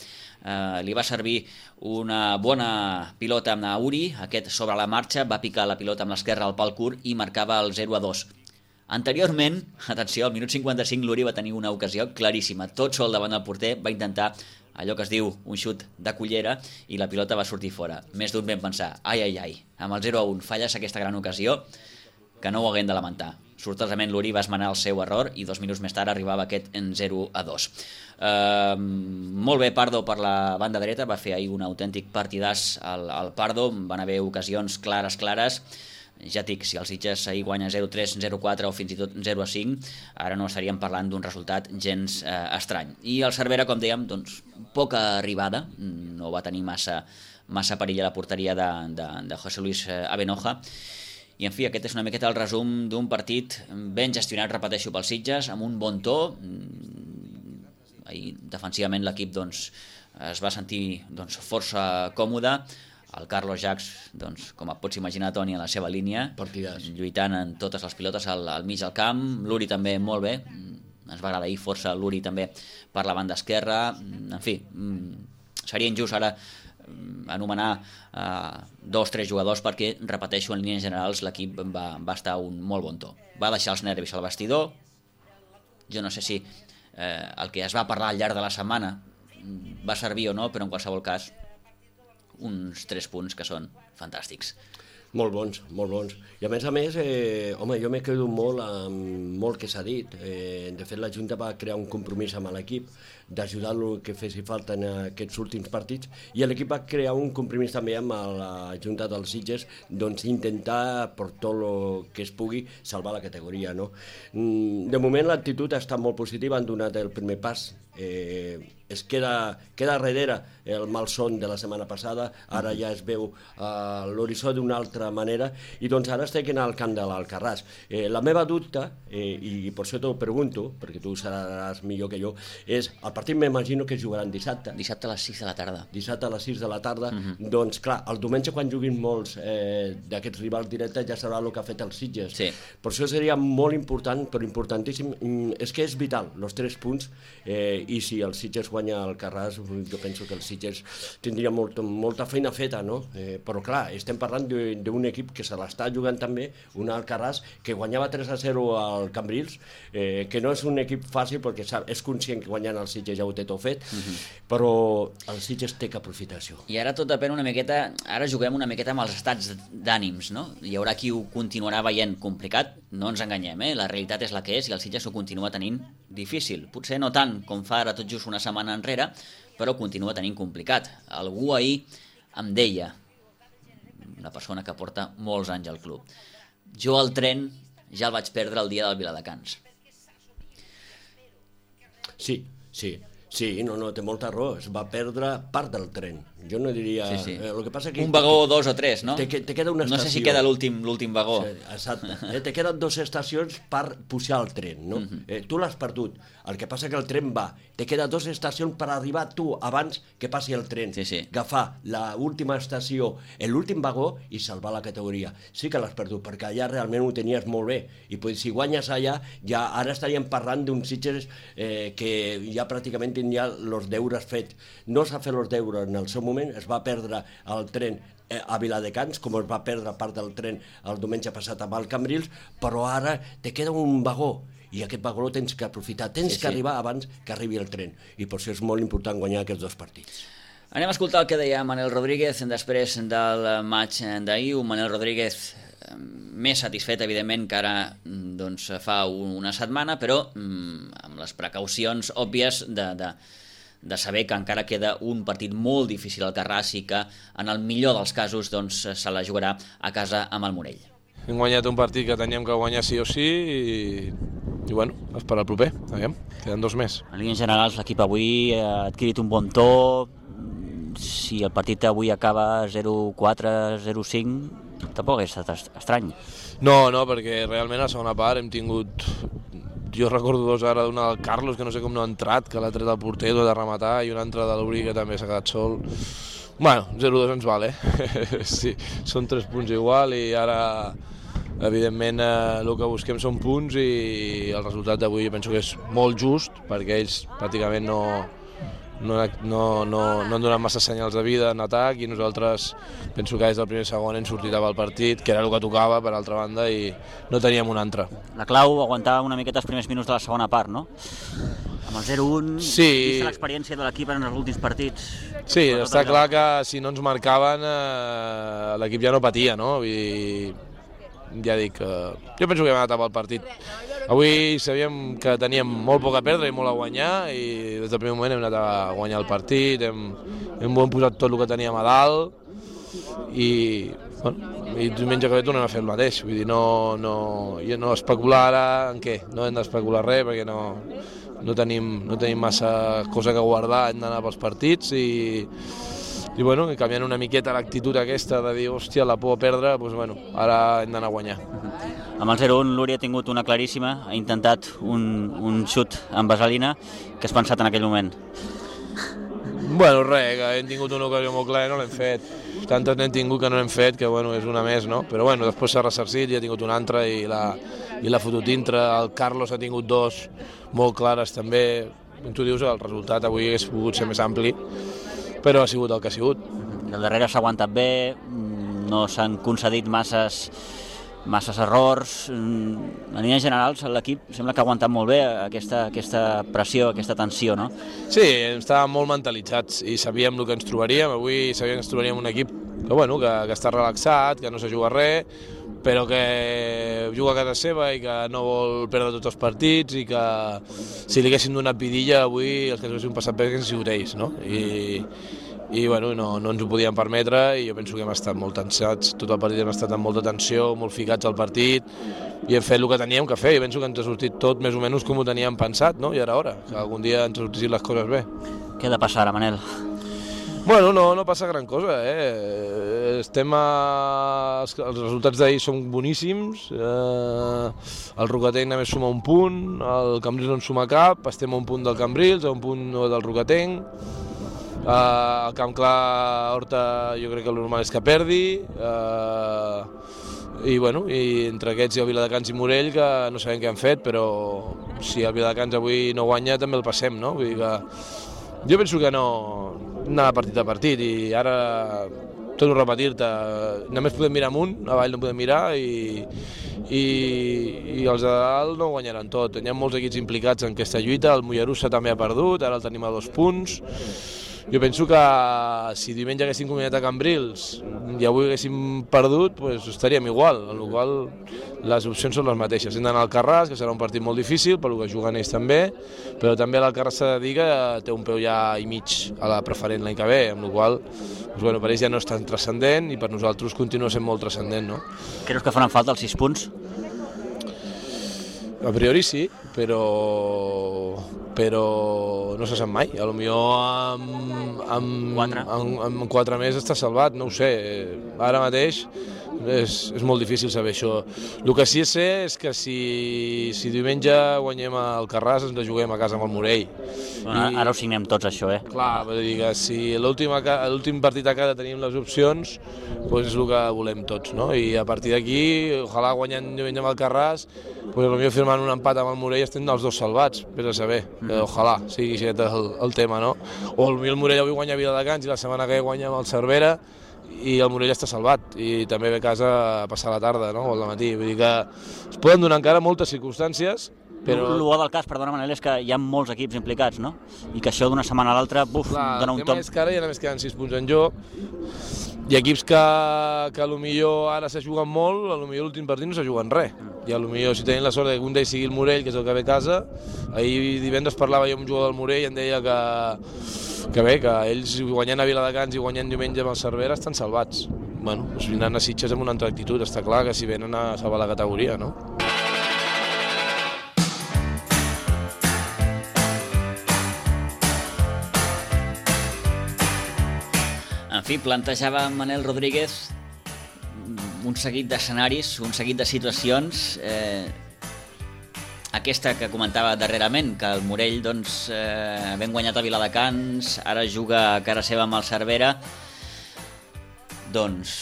S1: Uh, li va servir una bona pilota amb Uri, aquest sobre la marxa va picar la pilota amb l'esquerra al pal curt i marcava el zero a dos. Anteriorment, atenció, al minut cinquanta-cinc l'Uri va tenir una ocasió claríssima, tot sol davant del porter, va intentar allò que es diu un xut de cullera i la pilota va sortir fora. Més d'un vam pensar, ai ai ai, amb el zero a un falles aquesta gran ocasió que no ho haguem de lamentar. Sortosament l'Uri va esmenar el seu error i dos minuts més tard arribava aquest en zero a dos. Uh, molt bé Pardo per la banda dreta, va fer ahir un autèntic partidàs al, al Pardo, van haver ocasions clares, clares. Ja dic, si el Sitges ahir guanya zero a tres, zero a quatre o fins i tot zero a cinc, ara no estaríem parlant d'un resultat gens eh, estrany. I el Cervera, com dèiem, doncs, poca arribada, no va tenir massa, massa perill a la porteria de, de, de José Luis Abenoja. I, en fi, aquest és una miqueta el resum d'un partit ben gestionat, repeteixo, pel Sitges, amb un bon to. Ahir, defensivament, l'equip doncs, es va sentir doncs, força còmode. El Carlos Jacs, doncs, com et pots imaginar, Toni, a la seva línia,
S3: partidàs,
S1: lluitant en totes les pilotes al, al mig del camp. L'Uri també molt bé, ens va agradar ahir força l'Uri també per la banda esquerra. En fi, seria injust ara anomenar eh, dos o tres jugadors perquè, repeteixo, en línies generals l'equip va, va estar a un molt bon to. Va deixar els nervis al vestidor. Jo no sé si eh, el que es va parlar al llarg de la setmana va servir o no, però en qualsevol cas uns tres punts que són fantàstics.
S3: Molt bons, molt bons. I a més a més, eh, home, jo m'he quedat molt amb molt que s'ha dit. Eh, de fet, la Junta va crear un compromís amb l'equip d'ajudar-lo que fessi falta en aquests últims partits, i l'equip va crear un compromís també amb la Junta dels Sitges, doncs intentar, per tot el que es pugui, salvar la categoria, no? De moment l'actitud ha estat molt positiva, han donat el primer pas. Eh, es queda, queda darrere el malson de la setmana passada, ara ja es veu uh, l'horitzó d'una altra manera, i doncs ara estic al camp de l'Alcarràs. Eh, la meva dubte, eh, i per això t'ho pregunto, perquè tu seràs millor que jo, és, el partit m'imagino que jugaran dissabte.
S1: Dissabte a les sis de la tarda.
S3: Dissabte a les sis de la tarda,
S1: uh -huh.
S3: doncs clar, el diumenge quan juguin molts eh, d'aquests rivals directes ja serà el que ha fet els Sitges.
S1: Sí.
S3: Per això seria molt important, però importantíssim, és que és vital, els tres punts, eh, i si el Sitges guanya el Carràs, jo penso que el Sitges tindria molt, molta feina feta, no? Eh, però clar, estem parlant d'un equip que se l'està jugant també, un Alcarràs que guanyava tres a zero al Cambrils, eh, que no és un equip fàcil perquè sap, és conscient que guanyant el Sitges ja ho té tot fet, uh -huh. però el Sitges té que aprofitar això.
S1: I ara tot depèn una miqueta, ara juguem una miqueta amb els estats d'ànims, no? Hi haurà qui ho continuarà veient complicat, no ens enganyem, eh? La realitat és la que és i el Sitges ho continua tenint difícil. Potser no tant com fa ara tot just una setmana enrere, però continua tenint complicat. Algú ahir em deia, una persona que porta molts anys al club, jo el tren ja el vaig perdre el dia del Viladecans.
S3: Sí, sí, sí, no, no, té molta raó, es va perdre part del tren. Jo no diria...
S1: Sí, sí.
S3: Eh, lo que passa que
S1: un vagó, dos o tres, no?
S3: Te, te queda una estació.
S1: No sé si queda l'últim l'últim vagó.
S3: Sí, exacte. Eh, te queden dues estacions per pujar el tren, no? Uh-huh. eh, tu l'has perdut. El que passa que el tren va. Te queda dues estacions per arribar tu abans que passi el tren.
S1: Sí, sí.
S3: Agafar l'última estació, l'últim vagó i salvar la categoria. Sí que l'has perdut, perquè allà realment ho tenies molt bé. I pues, si guanyes allà, ja ara estaríem parlant d'un Sitges eh, que ja pràcticament tindria els deures fets. No s'ha fet els deures en el seu moment, es va perdre el tren a Viladecans, com es va perdre part del tren el diumenge passat amb el Cambrils, però ara te queda un vagó, i aquest vagó lo tens que aprofitar, tens
S1: sí,
S3: que
S1: sí.
S3: arribar abans que arribi el tren, i per això és molt important guanyar aquests dos partits.
S1: Anem a escoltar el que deia Manel Rodríguez després del maig d'ahir, un Manel Rodríguez més satisfet, evidentment, que ara doncs, fa una setmana, però amb les precaucions òbvies de... de de saber que encara queda un partit molt difícil al Carràs i que en el millor dels casos doncs, se la jugarà a casa amb el Morell.
S5: Hem guanyat un partit que teníem que guanyar sí o sí i, i bueno, esperar el proper, aviam, queden dos més.
S1: En línies generals l'equip avui ha adquirit un bon to, si el partit avui acaba zero quatre, zero cinc, tampoc és estrany.
S5: No, no, perquè realment a la segona part hem tingut... Jo recordo dos ara, una del Carlos, que no sé com no ha entrat, que l'ha tret al porter, de rematar, i una altra de l'Uri, que també s'ha quedat sol. Bueno, zero dos ens val, eh? Sí, són tres punts igual, i ara, evidentment, eh, el que busquem són punts, i el resultat d'avui jo penso que és molt just, perquè ells pràcticament no... No, no, no, no han donat massa senyals de vida en atac i nosaltres penso que des del primer segon hem sortit al partit, que era el que tocava per altra banda, i no teníem un altre.
S1: La clau, aguantar una miqueta els primers minuts de la segona part, no? Amb el zero un,
S5: sí.
S1: Vista l'experiència de l'equip en els últims partits.
S5: Sí, està clar que si no ens marcaven eh, l'equip ja no patia, no? Vull dir, ja dic, eh, jo penso que hem anat al partit. Avui sabíem que teníem molt poc a perdre i molt a guanyar, i des del primer moment hem anat a guanyar el partit, hem, hem posat tot el que teníem a dalt, i, bueno, i diumenge que ve tornem a fer el mateix. Vull dir, no, no, jo no especular ara en què, no hem d'especular res perquè no, no, tenim, no tenim massa cosa que guardar, hem d'anar pels partits, i i bueno, canviant una miqueta l'actitud aquesta de dir, hòstia, la por a perdre, doncs bueno, ara hem d'anar a guanyar.
S1: Amb el zero un l'Uri ha tingut una claríssima, ha intentat un, un xut amb vaselina. Què has pensat en aquell moment?
S5: Bueno, res, que hem tingut una ocasió molt clara i no l'hem fet. Tantes n'hem tingut que no l'hem fet, que bueno, és una més, no? Però bueno, després s'ha ressarcit i ha tingut una altra i l'ha fotut dintre. El Carlos ha tingut dos molt clares també. Tu dius, el resultat avui hagués pogut ser més ampli, però ha sigut el que ha sigut.
S1: el darrere s'ha aguantat bé, no s'han concedit masses, masses errors. En línies generals, l'equip sembla que ha aguantat molt bé aquesta, aquesta pressió, aquesta tensió, no?
S5: Sí, estàvem molt mentalitzats i sabíem el que ens trobaríem. Avui sabíem que ens trobaríem un equip que, bueno, que, que està relaxat, que no se juga res, però que juga a casa seva i que no vol perdre tots els partits i que si li haguessin donat vidilla avui els que ens haguessin passat bé haguessin sigut ells, no? I, i bueno, no, no ens ho podíem permetre i jo penso que hem estat molt tensats, tot el partit hem estat amb molta tensió, molt ficats al partit i hem fet el que teníem que fer i penso que ens ha sortit tot més o menys com ho teníem pensat, no? I ara hora, que algun dia ens sortissin les coses bé.
S1: Què ha de passar ara, Manel?
S5: Bueno, no, no passa gran cosa, eh? Estem a... Els resultats d'ahir són boníssims, eh... el Rocatenc només suma un punt, el Cambrils no en suma cap, estem a un punt del Cambrils, a un punt del Rocatenc, eh... el Camp Clar Horta jo crec que el normal és que perdi, eh... i bueno, i entre aquests hi ha Viladecans i Morell que no sabem què han fet, però si el Viladecans avui no guanya també el passem, no? Vull dir que jo penso que no anar partit a partit i ara torno a repetir-te, només podem mirar amunt, avall no podem mirar i, i, i els de dalt no guanyaran tot. Hi ha molts equips implicats en aquesta lluita, el Mollerussa també ha perdut, ara el tenim a dos punts. Jo penso que si diumenge haguéssim combinat a Cambrils i avui haguéssim perdut, pues estaríem igual, en la qual les opcions són les mateixes. Hem d'anar al Carràs, que serà un partit molt difícil, per que juguen ells també, però també l'Alcarràs s'ha de dir que té un peu ja i mig a la preferent l'any que ve, amb la qual pues, bueno, per ells ja no és tan transcendent i per nosaltres continua sent molt transcendent. No?
S1: Creus que faran falta els sis punts?
S5: A priori sí, però, però no se sap mai. A lo millor amb, amb,
S1: quatre.
S5: amb, amb quatre més està salvat, no ho sé. Ara mateix és, és molt difícil saber això. El que sí sé és que si, si diumenge guanyem el Carràs ens la juguem a casa amb el Morell.
S1: Bueno, I, ara ho signem tots, això, eh?
S5: Clar, vull dir que si l'últim partit a casa tenim les opcions, doncs és el que volem tots, no? I a partir d'aquí, ojalà guanyant diumenge amb el Carràs, doncs potser firmant un empat amb el Morell estem els dos salvats, vés a saber, mm. eh, ojalà sigui aquest el, el tema, no? O potser el Morell avui guanya Viladecans i la setmana que ve guanya amb el Cervera i el Morell està salvat i també ve a casa a passar la tarda, no? O al matí, vull dir que es poden donar encara moltes circumstàncies. Però... El
S1: bo del cas, perdona Manel, és que hi ha molts equips implicats, no? I que això d'una setmana a l'altra, buf,
S5: clar,
S1: dona un
S5: tom. El
S1: tom.
S5: tema és que ara ja només queden sis punts en joc. Hi ha equips que, que potser ara se juguen molt, potser l'últim partit no se juguen res. I potser si tenim la sort que un d'ells sigui el Morell, que és el que ve a casa, ahir divendres parlava jo amb un jugador del Morell i em deia que, que bé, que ells guanyant a Viladecans i guanyant diumenge amb el Cervera estan salvats. Bueno, doncs vindran a Sitges amb una altra actitud, està clar que si venen a salvar la categoria, no?
S1: En fi, plantejava Manel Rodríguez un seguit d'escenaris, un seguit de situacions. Eh, aquesta que comentava darrerament, que el Morell, doncs, eh, ben guanyat a Viladecans, ara juga a cara seva amb el Cervera. Doncs,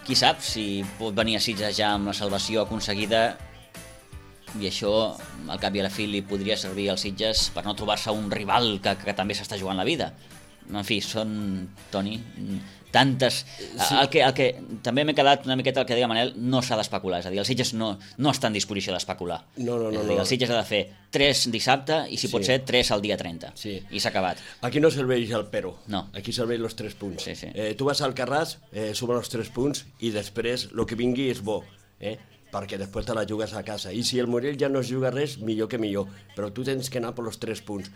S1: qui sap si pot venir a Sitges ja amb la salvació aconseguida i això, al cap i a la fi, li podria servir als Sitges per no trobar-se un rival que, que també s'està jugant la vida. En fi, són, Toni, tantes... Sí. El, que, el que també m'he quedat una miqueta el que deia Manel, no s'ha d'especular, és a dir, el Sitges no, no està en disposició d'especular.
S3: No, no, no.
S1: És a dir, el Sitges ha de fer tres dissabte i si sí. pot ser tres al dia trenta.
S3: Sí.
S1: I s'ha acabat.
S3: Aquí no serveix el pero,
S1: no.
S3: Aquí serveix els tres punts.
S1: Sí, sí.
S3: Eh, tu vas al Carràs, eh, sumen els tres punts i després el que vingui és bo, eh? perquè després te la jugues a casa. I si el Morell ja no es juga res, millor que millor. Però tu tens que anar per els tres punts.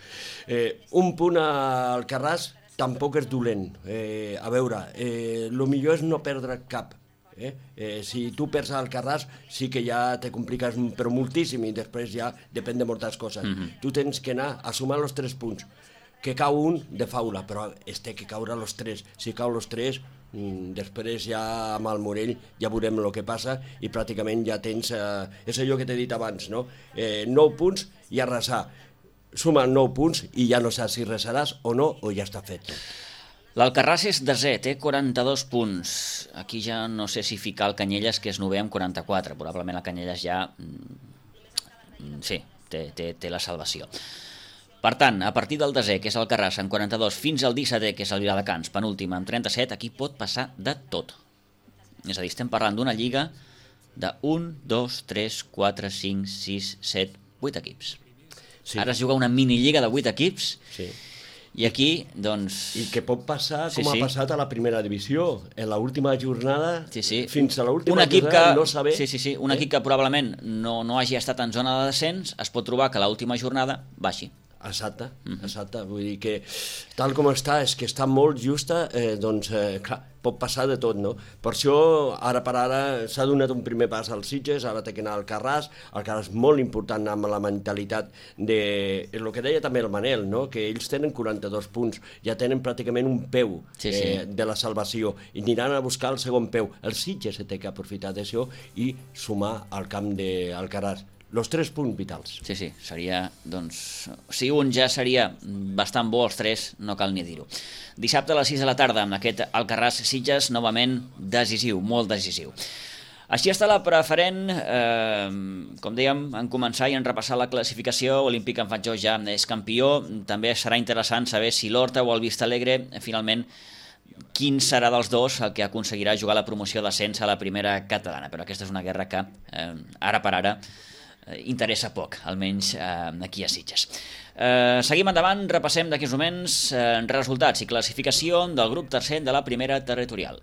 S3: Eh, un punt al Carràs tampoc és dolent. Eh, a veure, eh, el millor és no perdre cap. Eh? Eh, si tu perds al Carràs, sí que ja te compliques però moltíssim i després ja depèn de moltes coses. Mm-hmm. Tu tens que anar a sumar els tres punts. Que cau un de faula, però es té que caure els tres. Si cau els tres, després ja amb el Morell ja veurem el que passa i pràcticament ja tens, eh, és allò que t'he dit abans, no? Eh, nou punts i arrasar. Sumen nou punts i ja no saps si resaràs o no, o ja està fet.
S1: L'Alcarràs és desè, té quaranta-dos punts. Aquí ja no sé si ficar el Canyelles, que és novè amb quaranta-quatre. Probablement el Canyelles ja... Sí, té, té, té la salvació. Per tant, a partir del desè, que és el Alcarràs, amb quaranta-dos, fins al dissetè, que és el Viladecans, penúltim, amb trenta-set, aquí pot passar de tot. És a dir, estem parlant d'una lliga de un, dos, tres, quatre, cinc, sis, set, vuit equips. Sí. Ara es juga una minilliga de vuit equips, sí. I aquí, doncs...
S3: I que pot passar com sí, sí. ha passat a la primera divisió, en l'última jornada, sí, sí. fins a l'última jornada,
S1: que,
S3: no saber...
S1: Sí, sí, sí, un eh? equip que probablement no, no hagi estat en zona de descens, es pot trobar que l'última jornada baixi.
S3: Exacte, mm-hmm. exacte, vull dir que tal com està, és que està molt justa, eh, doncs, eh, clar, pot passar de tot, no? Per això, ara per ara, s'ha donat un primer pas als Sitges, ara té que anar al Alcarràs, el Alcarràs molt important amb la mentalitat de... el que deia també el Manel, no? Que ells tenen quaranta-dos punts, ja tenen pràcticament un peu sí, sí. Eh, de la salvació, i aniran a buscar el segon peu. El Sitges té que aprofitar d'això i sumar al camp d'Alcarràs. Los tres punts vitals.
S1: Sí, sí, seria, doncs... Si un ja seria bastant bo, els tres, no cal ni dir-ho. Dissabte a les sis de la tarda, amb aquest Alcarràs Sitges, novament decisiu, molt decisiu. Així està la preferent, eh, com dèiem, en començar i en repassar la classificació. Olímpic en Fatjó ja és campió. També serà interessant saber si l'Horta o el Vistalegre, finalment, quin serà dels dos el que aconseguirà jugar la promoció d'ascens a la primera catalana. Però aquesta és una guerra que, eh, ara per ara, interessa poc, almenys eh, aquí a Sitges. Eh, seguim endavant, repassem d'aquí uns moments eh, resultats i classificació del grup tercer de la primera territorial.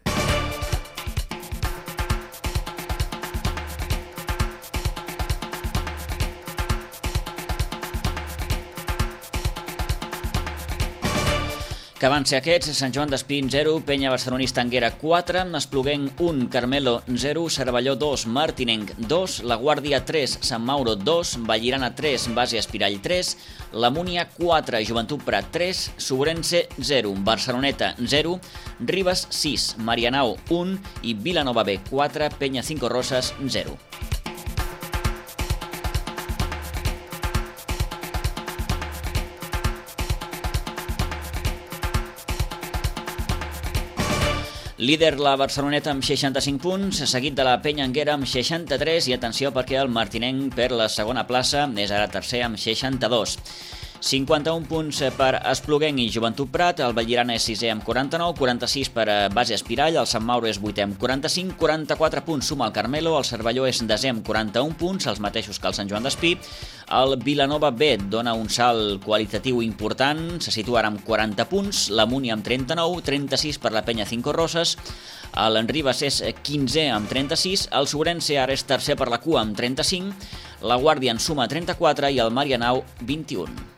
S1: Que van ser aquests: Sant Joan d'Espí zero, Penya Barcelonista Anguera quatre, Espluguenc un, Carmelo zero, Cervelló dos, Martinenc dos, La Guàrdia tres, Sant Mauro dos, Vallirana tres, Base Espirall tres, La Múnia quatre, Joventut Prat tres, Sobrense zero, Barceloneta zero, Ribes sis, Marianao un i Vilanova B quatre, Penya Cinco Roses zero. Líder la Barceloneta amb seixanta-cinc punts, seguit de la Penya Anguera amb seixanta-tres i atenció perquè el Martinenc per la segona plaça és ara tercer amb seixanta-dos. cinquanta-un punts per Espluguenc i Joventut Prat, el Vallirana és sisè amb quaranta-nou, quaranta-sis per Base Espirall, el Sant Mauro és vuitè amb quaranta-cinc, quaranta-quatre punts suma el Carmelo, el Cervelló és desè amb quaranta-un punts, els mateixos que el Sant Joan d'Espí, el Vilanova B dona un salt qualitatiu important, se situa ara amb quaranta punts, la Múnia amb trenta-nou, trenta-sis per la Penya Cinco Roses, l'Enribes és quinzè amb trenta-sis, el Sobrense ara és tercer per la cua amb trenta-cinc, la Guàrdia en suma trenta-quatre i el Marianao vint-i-un.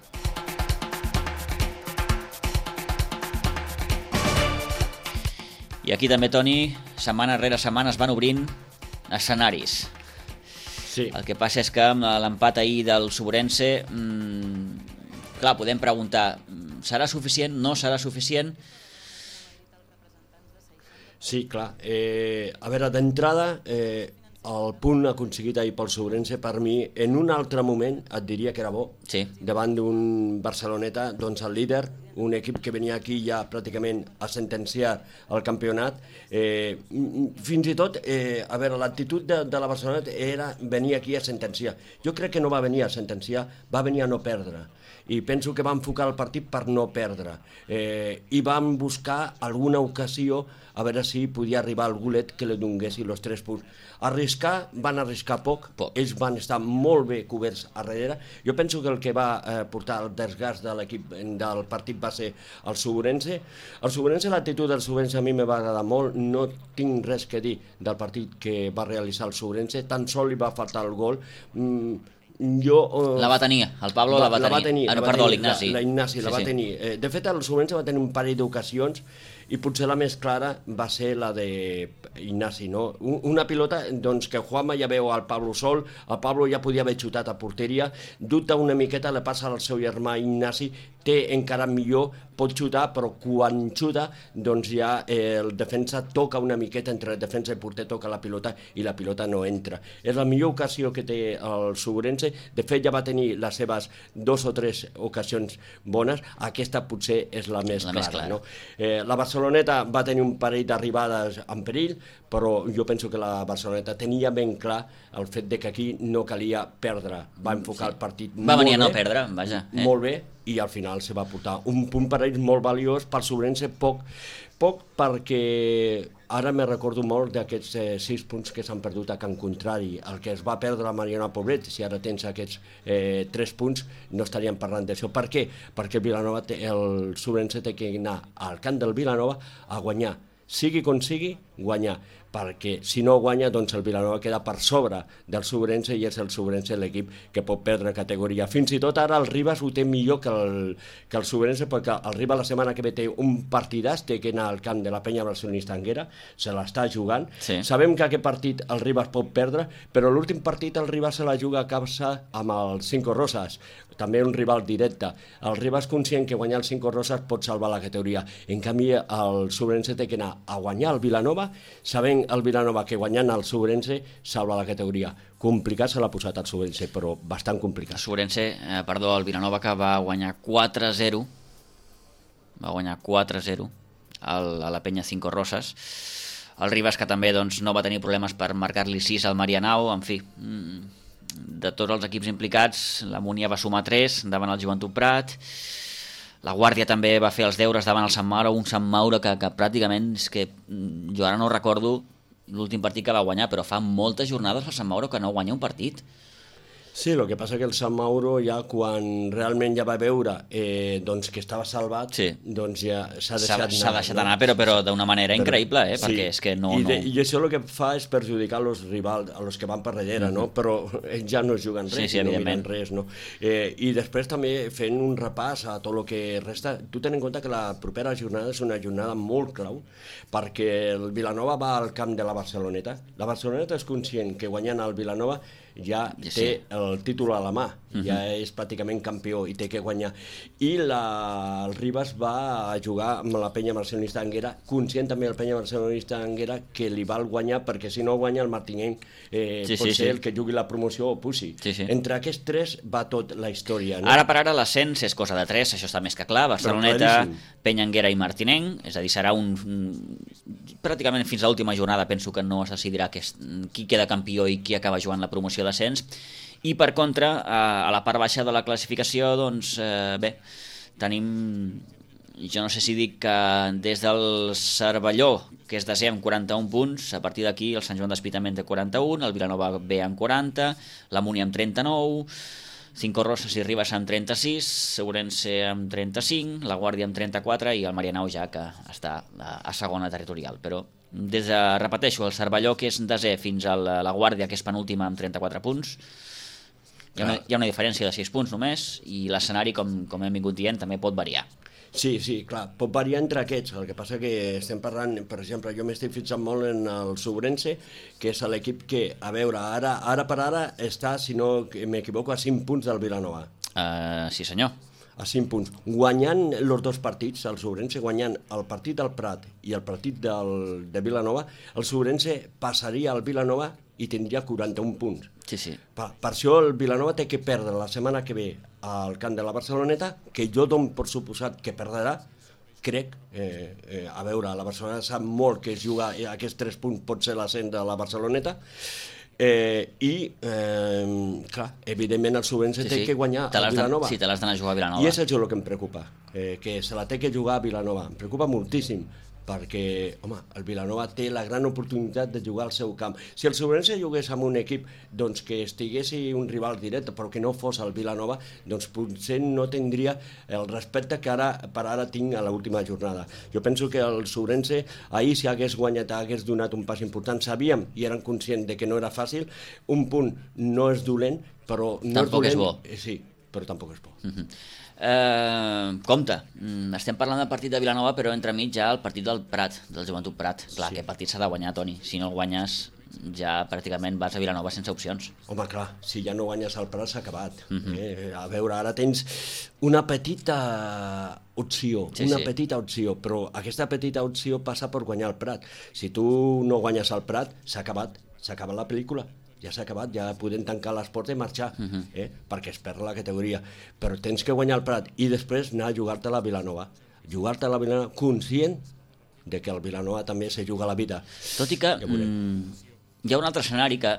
S1: I aquí també, Toni, setmana rere setmana es van obrint escenaris.
S3: Sí.
S1: El que passa és que amb l'empat ahir del Sobrense, mmm, clar, podem preguntar, serà suficient, no serà suficient?
S3: Sí, clar. Eh, a veure, d'entrada, eh, el punt aconseguit ahir pel Sobrense, per mi, en un altre moment et diria que era bo,
S1: sí.
S3: Davant d'un Barceloneta, doncs el líder, un equip que venia aquí ja pràcticament a sentenciar el campionat. Eh, fins i tot, eh, a veure, l'actitud de, de la Barceloneta era venir aquí a sentenciar. Jo crec que no va venir a sentenciar, va venir a no perdre. I penso que va enfocar el partit per no perdre. Eh, I van buscar alguna ocasió a veure si podia arribar al golet que li donguessi els tres punts. Arriscar, van arriscar poc, poc. Ells van estar molt bé coberts a darrere. Jo penso que el que va eh, portar el desgast de l'equip del partit va ser el Sobrense. El Sobrense, l'actitud del Sobrense a mi me va agradar molt, no tinc res que dir del partit que va realitzar el Sobrense, tan sol li va faltar el gol. Mm, jo, uh,
S1: la va tenir, el Pablo va, la va tenir, la va tenir. Ah, no, perdó, l'Ignasi.
S3: La, la Ignasi sí, la va sí. tenir. Eh, de fet, el Sobrense va tenir un parell d'ocasions i potser la més clara va ser la de Ignasi, no? Una pilota doncs, que Juanma ja veu al Pablo sol, el Pablo ja podia haver xutat a porteria, dubta una miqueta, le passa al seu germà Ignasi, té encara millor, pot xutar, però quan xuta, doncs ja eh, el defensa toca una miqueta, entre el defensa i porter toca la pilota i la pilota no entra. És la millor ocasió que té el Sobrense, de fet ja va tenir les seves dos o tres ocasions bones, aquesta potser és la més la clara. Més clara. No? Eh, la Barceloneta va tenir un parell d'arribades en perill, però jo penso que la Barceloneta tenia ben clar el fet de que aquí no calia perdre, va enfocar sí. el partit
S1: va
S3: molt
S1: venir
S3: bé,
S1: a no perdre, vaja.
S3: Eh. Molt bé, i al final se va portar un punt per ells molt valiós, per Sobrense poc, poc perquè ara me recordo molt d'aquests eh, sis punts que s'han perdut a Can Contrari, el que es va perdre a Mariana Poblet, si ara tens aquests eh, tres punts no estaríem parlant d'això. Per què? Perquè Vilanova té, el Sobrense té que anar al camp del Vilanova a guanyar, sigui com sigui, guanyar, perquè si no guanya, doncs el Vilanova queda per sobre del Sobrense i és el Sobrense l'equip que pot perdre categoria. Fins i tot ara el Ribas ho té millor que el, que el Sobrense, perquè el Ribas la setmana que ve té un partidàs, té que anar al camp de la Penya Barcelonista Anguera, se l'està jugant.
S1: Sí.
S3: Sabem que aquest partit el Ribas pot perdre, però l'últim partit el Ribas se la juga a casa amb el Cinco Rosas, també un rival directe. El Ribas conscient que guanyar el Cinco Rosas pot salvar la categoria. En canvi, el Sobrense té que anar a guanyar el Vilanova, sabent el Vilanova que guanyant el Sobrense salva la categoria. Complicat se l'ha posat el Sobrense, però bastant complicat.
S1: Sobrense, eh, perdó, el Vilanova que va guanyar quatre a zero, va guanyar quatre a zero al, a la Penya Cinco Rosas. El Ribas que també doncs, no va tenir problemes per marcar-li sis al Marianao, en fi, de tots els equips implicats, la Múnia va sumar tres davant el Joventut Prat, la Guàrdia també va fer els deures davant el Sant Mauro, un Sant Mauro que, que pràcticament, és que jo ara no recordo l'últim partit que va guanyar, però fa moltes jornades el Sant Mauro que no guanya un partit.
S3: Sí, el que passa que el Sant Mauro ja quan realment ja va veure eh, doncs que estava salvat,
S1: sí.
S3: doncs ja s'ha deixat anar.
S1: S'ha deixat anar, no? però, però d'una manera però, increïble, eh?
S3: Sí.
S1: Perquè és que no...
S3: I, de,
S1: no...
S3: I això el que fa és perjudicar els rivals, a los que van per darrere, mm-hmm. no? Però ells ja no juguen res,
S1: sí, sí,
S3: no miren res, no? Eh, I després també fent un repàs a tot el que resta, tu ten en compte que la propera jornada és una jornada molt clau, perquè el Vilanova va al camp de la Barceloneta. La Barceloneta és conscient que guanyant el Vilanova ja sí. té el títol a la mà, uh-huh. ja és pràcticament campió i té que guanyar. I la, el Ribas va a jugar amb la Penya Barcelonista Anguera, conscient també el Penya Barcelonista Anguera que li val guanyar, perquè si no guanya el Martinenc eh,
S1: sí,
S3: pot
S1: sí,
S3: ser
S1: sí.
S3: el que jugui la promoció o pusi. Sí, sí. Entre aquests tres va tot la història. No?
S1: Ara per ara l'ascens és cosa de tres, això està més que clar, Barceloneta, Penya Anguera i Martinenc, és a dir, serà un... pràcticament fins a l'última jornada penso que no es decidirà que, qui queda campió i qui acaba jugant la promoció d'ascens. I per contra, a la part baixa de la classificació, doncs eh, bé, tenim, jo no sé si dic que des del Cervelló, que és desè amb quaranta-un punts, a partir d'aquí el Sant Joan d'Espitament té quaranta-un, el Vilanova B amb quaranta, la Múnia amb trenta-nou, Cinco Rosas i Ribas amb trenta-sis, Segurense amb trenta-cinc, la Guàrdia amb trenta-quatre i el Marianao ja que està a segona territorial. Però des de, repeteixo, el Cervelló que és desè fins a la, la Guàrdia que és penúltima amb trenta-quatre punts, hi ha, una, hi ha una diferència de sis punts només i l'escenari, com, com hem vingut dient, també pot variar.
S3: Sí, sí, clar, pot variar entre aquests, el que passa que estem parlant, per exemple, jo m'estic fixant molt en el Sobrense, que és l'equip que, a veure, ara, ara per ara està, si no m'equivoco, a cinc punts del Vilanova.
S1: Uh, sí senyor.
S3: A cinc punts. Guanyant els dos partits, el Sobrense guanyant el partit del Prat i el partit del, de Vilanova, el Sobrense passaria al Vilanova i tindria quaranta-un punts.
S1: Sí, sí.
S3: Per, per això el Vilanova té que perdre la setmana que ve al camp de la Barceloneta, que jo dono per suposat que perdrà, crec, eh, eh, a veure, la Barcelona sap molt que jugar aquests tres punts pot ser l'ascens de la Barceloneta, eh, i, eh, clar, evidentment el Sobrense sí, té sí. que guanyar a Vilanova.
S1: Sí, te l'has d'anar a jugar a Vilanova.
S3: I és això el que em preocupa, eh, que se la té que jugar a Vilanova. Em preocupa moltíssim, perquè, home, el Vilanova té la gran oportunitat de jugar al seu camp. Si el Sobrense jugués amb un equip doncs, que estigués un rival directe, però que no fos el Vilanova, doncs potser no tindria el respecte que ara per ara tinc a l'última jornada. Jo penso que el Sobrense ahir, si hagués guanyat, hagués donat un pas important. Sabíem i eren conscients de que no era fàcil. Un punt no és dolent, però no
S1: tampoc
S3: és dolent.
S1: És bo.
S3: Sí, però tampoc és bo.
S1: Uh-huh. Uh, compte, estem parlant del partit de Vilanova, però entremig ja el partit del Prat, del Joventut Prat. Clar, sí. Aquest partit s'ha de guanyar, Toni. Si no el guanyes, ja pràcticament vas a Vilanova sense opcions.
S3: Home, clar, si ja no guanyes el Prat s'ha acabat.
S1: Uh-huh.
S3: eh? A veure, ara tens una petita opció,
S1: sí,
S3: una
S1: sí.
S3: petita opció, però aquesta petita opció passa per guanyar el Prat. Si tu no guanyes el Prat, s'ha acabat, s'ha acabat la pel·lícula. Ja s'ha acabat, ja podem tancar les portes i marxar, uh-huh. eh? perquè es perd la categoria. Però tens que guanyar el Prat i després anar a jugar-te a la Vilanova. Jugar-te a la Vilanova conscient de que el Vilanova també se juga la vida.
S1: Tot i que ja mm, hi ha un altre escenari que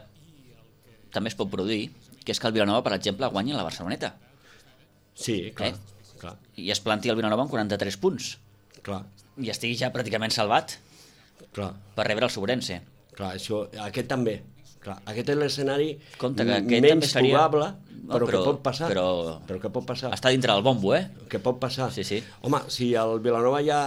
S1: també es pot produir, que és que el Vilanova, per exemple, guanyi la Barceloneta.
S3: Sí, clar. Eh? clar.
S1: I es planti el Vilanova amb quaranta-tres punts.
S3: Clar.
S1: I estigui ja pràcticament salvat
S3: Clar.
S1: per rebre el Sobrense.
S3: Clar, això, aquest també. Clar, aquest és l'escenari
S1: menys
S3: seria... probable,
S1: no,
S3: però,
S1: però
S3: que pot passar.
S1: Però...
S3: però que pot passar.
S1: Està dintre del bombo, eh?
S3: Que pot passar.
S1: Sí, sí.
S3: Home, si el Vilanova ja...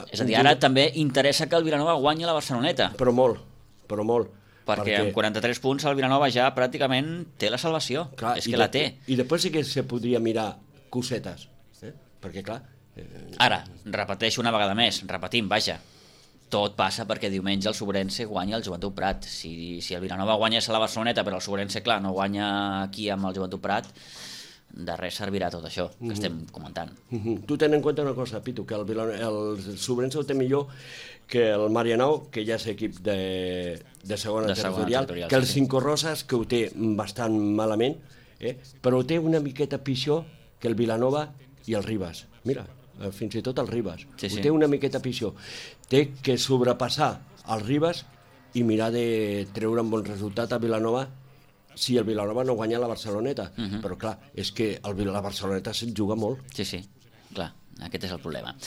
S1: És a dir, ara també interessa que el Vilanova guanyi la Barceloneta.
S3: Però molt, però molt.
S1: Perquè, perquè... amb quaranta-tres punts el Vilanova ja pràcticament té la salvació. Clar, és que la té.
S3: I després sí que se podria mirar cosetes. Eh? Perquè, clar... Eh...
S1: Ara, repeteixo una vegada més, repetim, vaja. Tot passa perquè diumenge el Sobrense guanya el Joventut Prat. Si, si el Vilanova guanyés a la Barceloneta, però el Sobrense, clar, no guanya aquí amb el Joventut Prat, de res servirà tot això que mm-hmm. estem comentant.
S3: Mm-hmm. Tu ten en compte una cosa, Pitu, que el, el Sobrense ho té millor que el Marianao, que ja és equip de, de segona de territorial, segona que el sí, Cinco Roses, que ho té bastant malament, eh? però ho té una miqueta pitjor que el Vilanova i el Ribas. Mira, fins i tot el Ribas. Sí, ho sí. té una miqueta pitjor. Té que sobrepassar el Ribas i mirar de treure un bon resultat a Vilanova si el Vilanova no guanya la Barceloneta. Uh-huh. Però clar, és que el, la Barceloneta se'n juga molt.
S1: Sí, sí, clar, aquest és el problema.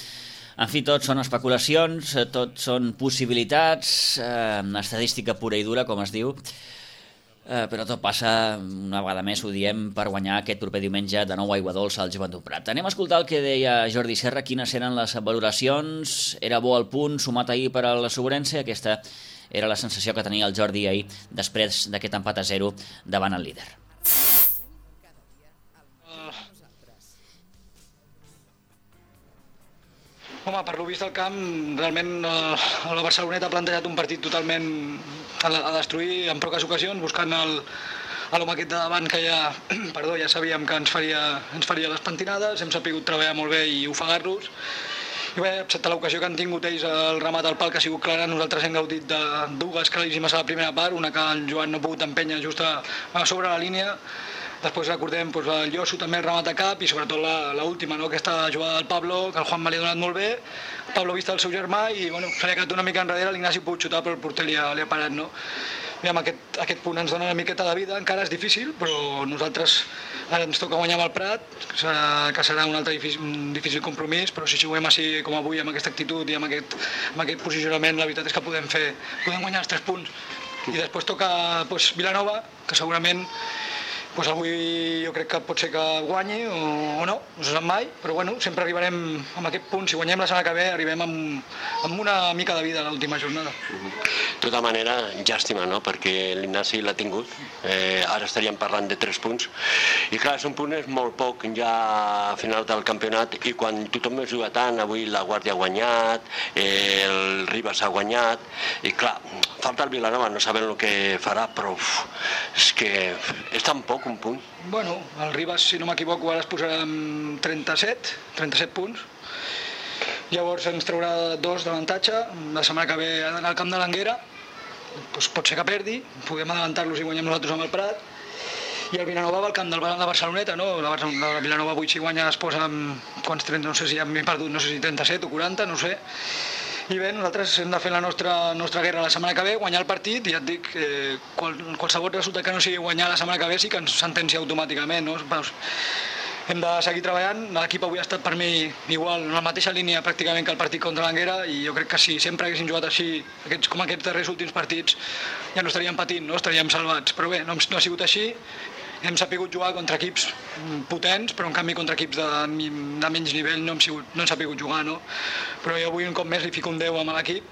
S1: En fi, tot són especulacions, tot són possibilitats, eh, estadística pura i dura, com es diu, eh, però tot passa, una vegada més ho diem, per guanyar aquest proper diumenge de nou a Aigua Dolça al Joventut Prat. Anem a escoltar el que deia Jordi Serra, quines eren les valoracions, era bo el punt sumat ahir per al Sobrense, aquesta era la sensació que tenia el Jordi ahir després d'aquest empat a zero davant el líder.
S6: Home, per lo vist del camp, realment eh, la Barceloneta ha plantejat un partit totalment a, a destruir en poques ocasions, buscant el, l'home aquest de davant que ja, perdó, ja sabíem que ens faria, ens faria les pentinades, hem sabut treballar molt bé i ofegar-los. I bé, excepte l'ocasió que han tingut ells el remat al pal, que ha sigut clara, nosaltres hem gaudit de dues claríssimes a la primera part, una que el Joan no ha pogut empènyer just a, a sobre la línia. Després recordem doncs, el Llosso també el remat a cap i sobretot l'última, no? Aquesta jugada del Pablo, que el Juanma li ha donat molt bé. El Pablo vist el seu germà i bueno, se li ha quedat una mica enrere, l'Ignasi ha pogut xutar però el porter li ha, li ha parat. No? Aviam, aquest, aquest punt ens dona una miqueta de vida, encara és difícil, però nosaltres ara ens toca guanyar amb el Prat, que serà, que serà un altre difícil, un difícil compromís, però si juguem així com avui, amb aquesta actitud i amb aquest, amb aquest posicionament, la veritat és que podem fer, podem guanyar els tres punts. I després toca doncs, Vilanova, que segurament pues avui jo crec que pot ser que guanyi o, o no, no se sap mai, però bueno, sempre arribarem amb aquest punt. Si guanyem la setmana que ve, arribem amb, amb una mica de vida a l'última jornada.
S7: De tota manera, llàstima, no?, perquè l'Ignasi l'ha tingut. Eh, ara estaríem parlant de tres punts. I clar, són punts molt poc ja a final del campionat i quan tothom es juga tant, avui la Guàrdia ha guanyat, eh, el Ribas ha guanyat, i clar, falta el Vilanova, no sabem el que farà, però uf, és que és tan poc un punt.
S6: Bueno, el Ribas, si no m'equivoco, ara es posarà amb trenta-set, trenta-set punts. Llavors ens traurà dos d'avantatge. La setmana que ve ha d'anar al camp de l'Anguera, doncs pot ser que perdi, podem adelantar-los i guanyem nosaltres amb el Prat. I el Vilanova va al camp del de Barceloneta, no? La, la Vilanova avui si guanya es posa amb quants trenta, no sé si ja m'he perdut, no sé si trenta-set o quaranta, no sé. I bé, nosaltres hem de fer la nostra, nostra guerra la setmana que ve, guanyar el partit, i ja et dic, eh, qual, qualsevol resultat que no sigui guanyar la setmana que ve sí que ens sentencia automàticament, no? Pues, hem de seguir treballant, l'equip avui ha estat per mi igual, en la mateixa línia pràcticament que el partit contra l'Anguera, i jo crec que si sempre haguéssim jugat així, aquests, com aquests darrers últims partits, ja no estaríem patint, no? Estaríem salvats, però bé, no, no ha sigut així. Hem sabut jugar contra equips potents, però en canvi contra equips de, de menys nivell no hem, sigut, no hem sabut jugar, no? Però jo avui un cop més li fico un deu amb l'equip.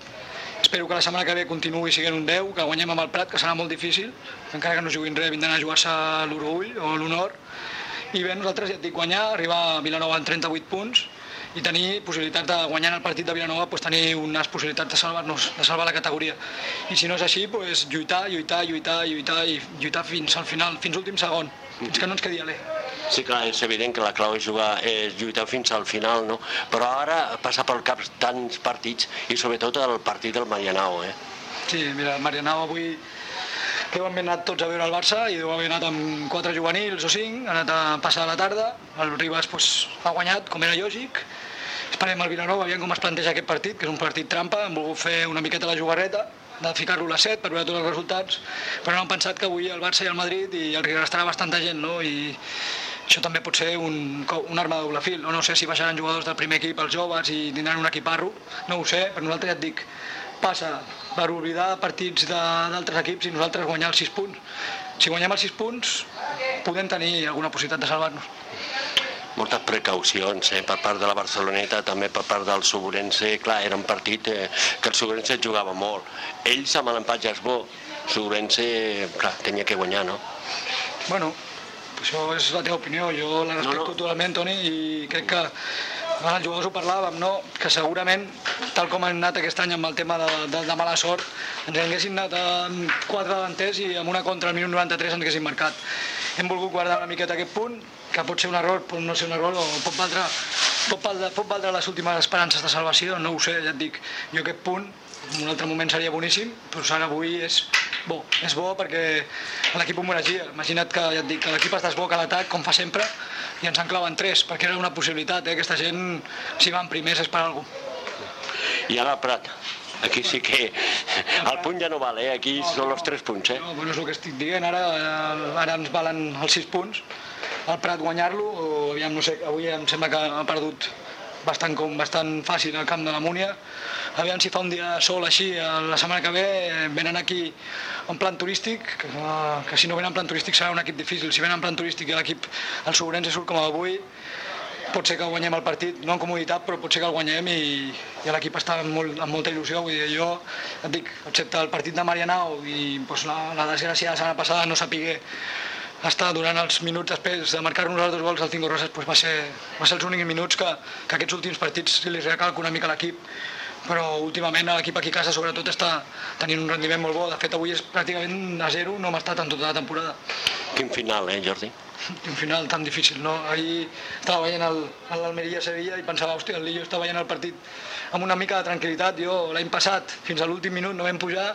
S6: Espero que la setmana que ve continuï sent un deu, que guanyem amb el Prat, que serà molt difícil. Encara que no juguin res, vindran a jugar-se l'Orgull o l'Honor. I bé, nosaltres ja et dic, guanyar, arribar a Vilanova en trenta-vuit punts i tenir possibilitats de guanyar el partit de Vilanova, pues, tenir unes possibilitats de salvar-nos, de salvar la categoria. I si no és així, pues, lluitar, lluitar, lluitar, lluitar i lluitar fins al final, fins l'últim segon, fins que no ens quedi alè.
S7: Sí, clar, és evident que la clau és, jugar, és lluitar fins al final, no? Però ara passa pel cap tants partits i sobretot el partit del Marianao, eh?
S6: Sí, mira, el Marianao avui deu haver anat tots a veure el Barça i deu haver anat amb quatre juvenils o cinc, ha anat a passar la tarda, el Ribas pues, ha guanyat, com era lògic. Esperem el Vilanova, aviam com es planteja aquest partit, que és un partit trampa, hem volgut fer una miqueta la jugarreta, de ficar-lo a les set per veure tots els resultats, però no hem pensat que avui el Barça i el Madrid i el que restarà bastanta gent, no? I això també pot ser un, un arma de doble fil, o no sé si baixaran jugadors del primer equip als joves i tindran un equiparro, no ho sé, però nosaltres ja et dic, passa per oblidar partits d'altres equips i nosaltres guanyar els sis punts. Si guanyem els sis punts, podem tenir alguna possibilitat de salvar-nos.
S7: Moltes precaucions eh, per part de la Barceloneta, també per part del Suburense. Clar, era un partit eh, que el Suburense jugava molt. Ells amb l'empat ja és bo. Suburense, clar, tenia que guanyar, no?
S6: Bueno, això és la teva opinió. Jo la respecto no, no. totalment, Toni, i crec que amb els jugadors ho parlàvem, no? Que segurament, tal com han anat aquest any amb el tema de, de, de mala sort, ens haguessin anat amb quatre davanters i amb una contra al minut noranta-tres ens haguessin marcat. Hem volgut guardar una miqueta aquest punt, que pot ser un error, pot no ser un error, o pot valdre, pot valdre, pot valdre les últimes esperances de salvació, no ho sé, ja et dic. Jo aquest punt, en un altre moment seria boníssim, però ara avui és bo. És bo perquè l'equip ho mereixia. Imagina't que, ja et dic, que l'equip està bo a l'atac, com fa sempre, i ens en claven tres, perquè era una possibilitat, eh? Aquesta gent, si van primers, és per alguna cosa.
S7: I ara Prat, aquí sí que el punt ja no val, eh? Aquí no, són els tres punts, eh?
S6: No, bueno, és el que estic dient, ara, ara ens valen els sis punts, el Prat guanyar-lo, o aviam, no sé, avui em sembla que ha perdut bastant, com, bastant fàcil al camp de la Múnia. Aviam si fa un dia sol així, la setmana que ve venen aquí en plan turístic, que, que si no venen en plan turístic serà un equip difícil. Si venen en plan turístic i l'equip, el Suburense surt com avui, pot ser que guanyem el partit, no en comoditat, però pot ser que el guanyem i, i l'equip està amb, molt, amb molta il·lusió. Vull dir, jo et dic, excepte el partit de Marianao i doncs, la, la desgràcia de la setmana passada no sapigué estar durant els minuts després de marcar-nos els dos gols al Cinco Roses, doncs va ser, va ser els únics minuts que, que aquests últims partits li recalco una mica a l'equip, però últimament l'equip aquí a casa sobretot està tenint un rendiment molt bo. De fet, avui és pràcticament a zero, no hem estat en tota la temporada.
S7: Quin final, eh, Jordi?
S6: Un final tan difícil, no? Ahir estava veient l'Almeria-Sevilla i pensava, hòstia, el Lillo està veient el partit amb una mica de tranquil·litat. Jo l'any passat, fins a l'últim minut, no vam pujar,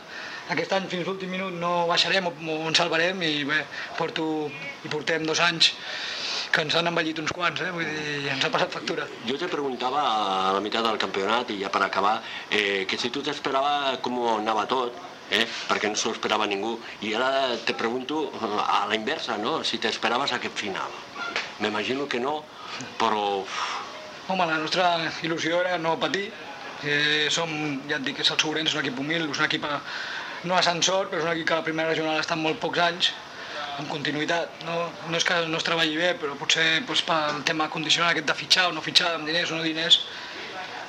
S6: aquest any fins a l'últim minut no baixarem o, o ens salvarem i bé, porto, i portem dos anys que ens han envellit uns quants, eh? Vull dir, ens ha passat factura.
S7: Jo te preguntava a la meitat del campionat i ja per acabar, eh, que si tu t'esperava com anava tot, eh? Perquè no s'ho esperava ningú, i ara te pregunto a la inversa, no? Si t'esperaves aquest final. M'imagino que no, però...
S6: Home, la nostra il·lusió era no patir. Eh, som, ja et dic, és el Suburense, és un equip humil, és un equip a, no ascensor, però és un equip que a la primera regional ha estat molt pocs anys, amb continuïtat. No, no és que no es treballi bé, però potser doncs, pel tema condicional aquest de fitxar o no fitxar, amb diners o no diners.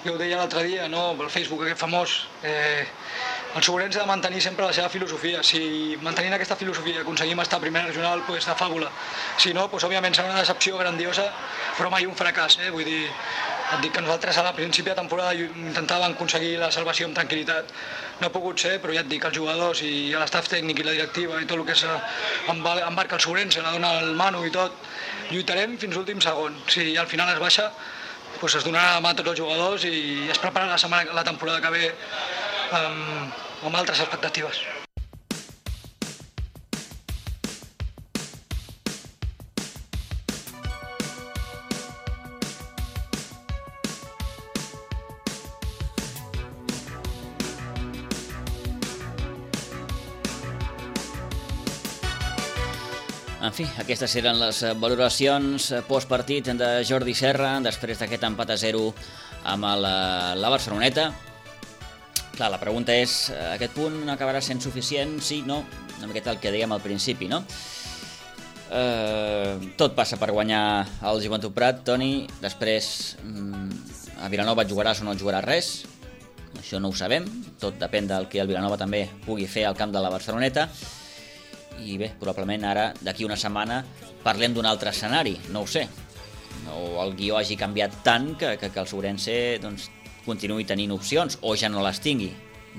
S6: Jo ho deia l'altre dia, no, pel Facebook aquest famós, eh, el Suburense ha de mantenir sempre la seva filosofia. Si mantenint aquesta filosofia aconseguim estar a primera regional, doncs de fàbula. Si no, doncs, òbviament serà una decepció grandiosa, però mai un fracàs. Eh? Vull dir, et dic que nosaltres a la principi de temporada intentàvem aconseguir la salvació amb tranquil·litat. No ha pogut ser, però ja et dic, els jugadors i l'estaf tècnic i la directiva i tot el que embarca el Suburense, la dona el Manu i tot, lluitarem fins l'últim segon. Si al final es baixa, doncs es donarà la mà a tots els jugadors i es prepara la, setmana, la temporada que ve amb, amb altres expectatives.
S1: En fi, aquestes eren les valoracions postpartit de Jordi Serra després d'aquest empat a zero amb la, la Barceloneta. Clar, la pregunta és, aquest punt acabarà sent suficient? Sí, no? Una miqueta el que dèiem al principi, no? Eh, tot passa per guanyar el Joventut Prat, Toni. Després, a Vilanova jugaràs o no jugaràs res? Això no ho sabem. Tot depèn del que el Vilanova també pugui fer al camp de la Barceloneta. I bé, probablement ara, d'aquí una setmana, parlem d'un altre escenari, no ho sé. O el guió hagi canviat tant que, que, que el Suburense doncs, continuï tenint opcions, o ja no les tingui.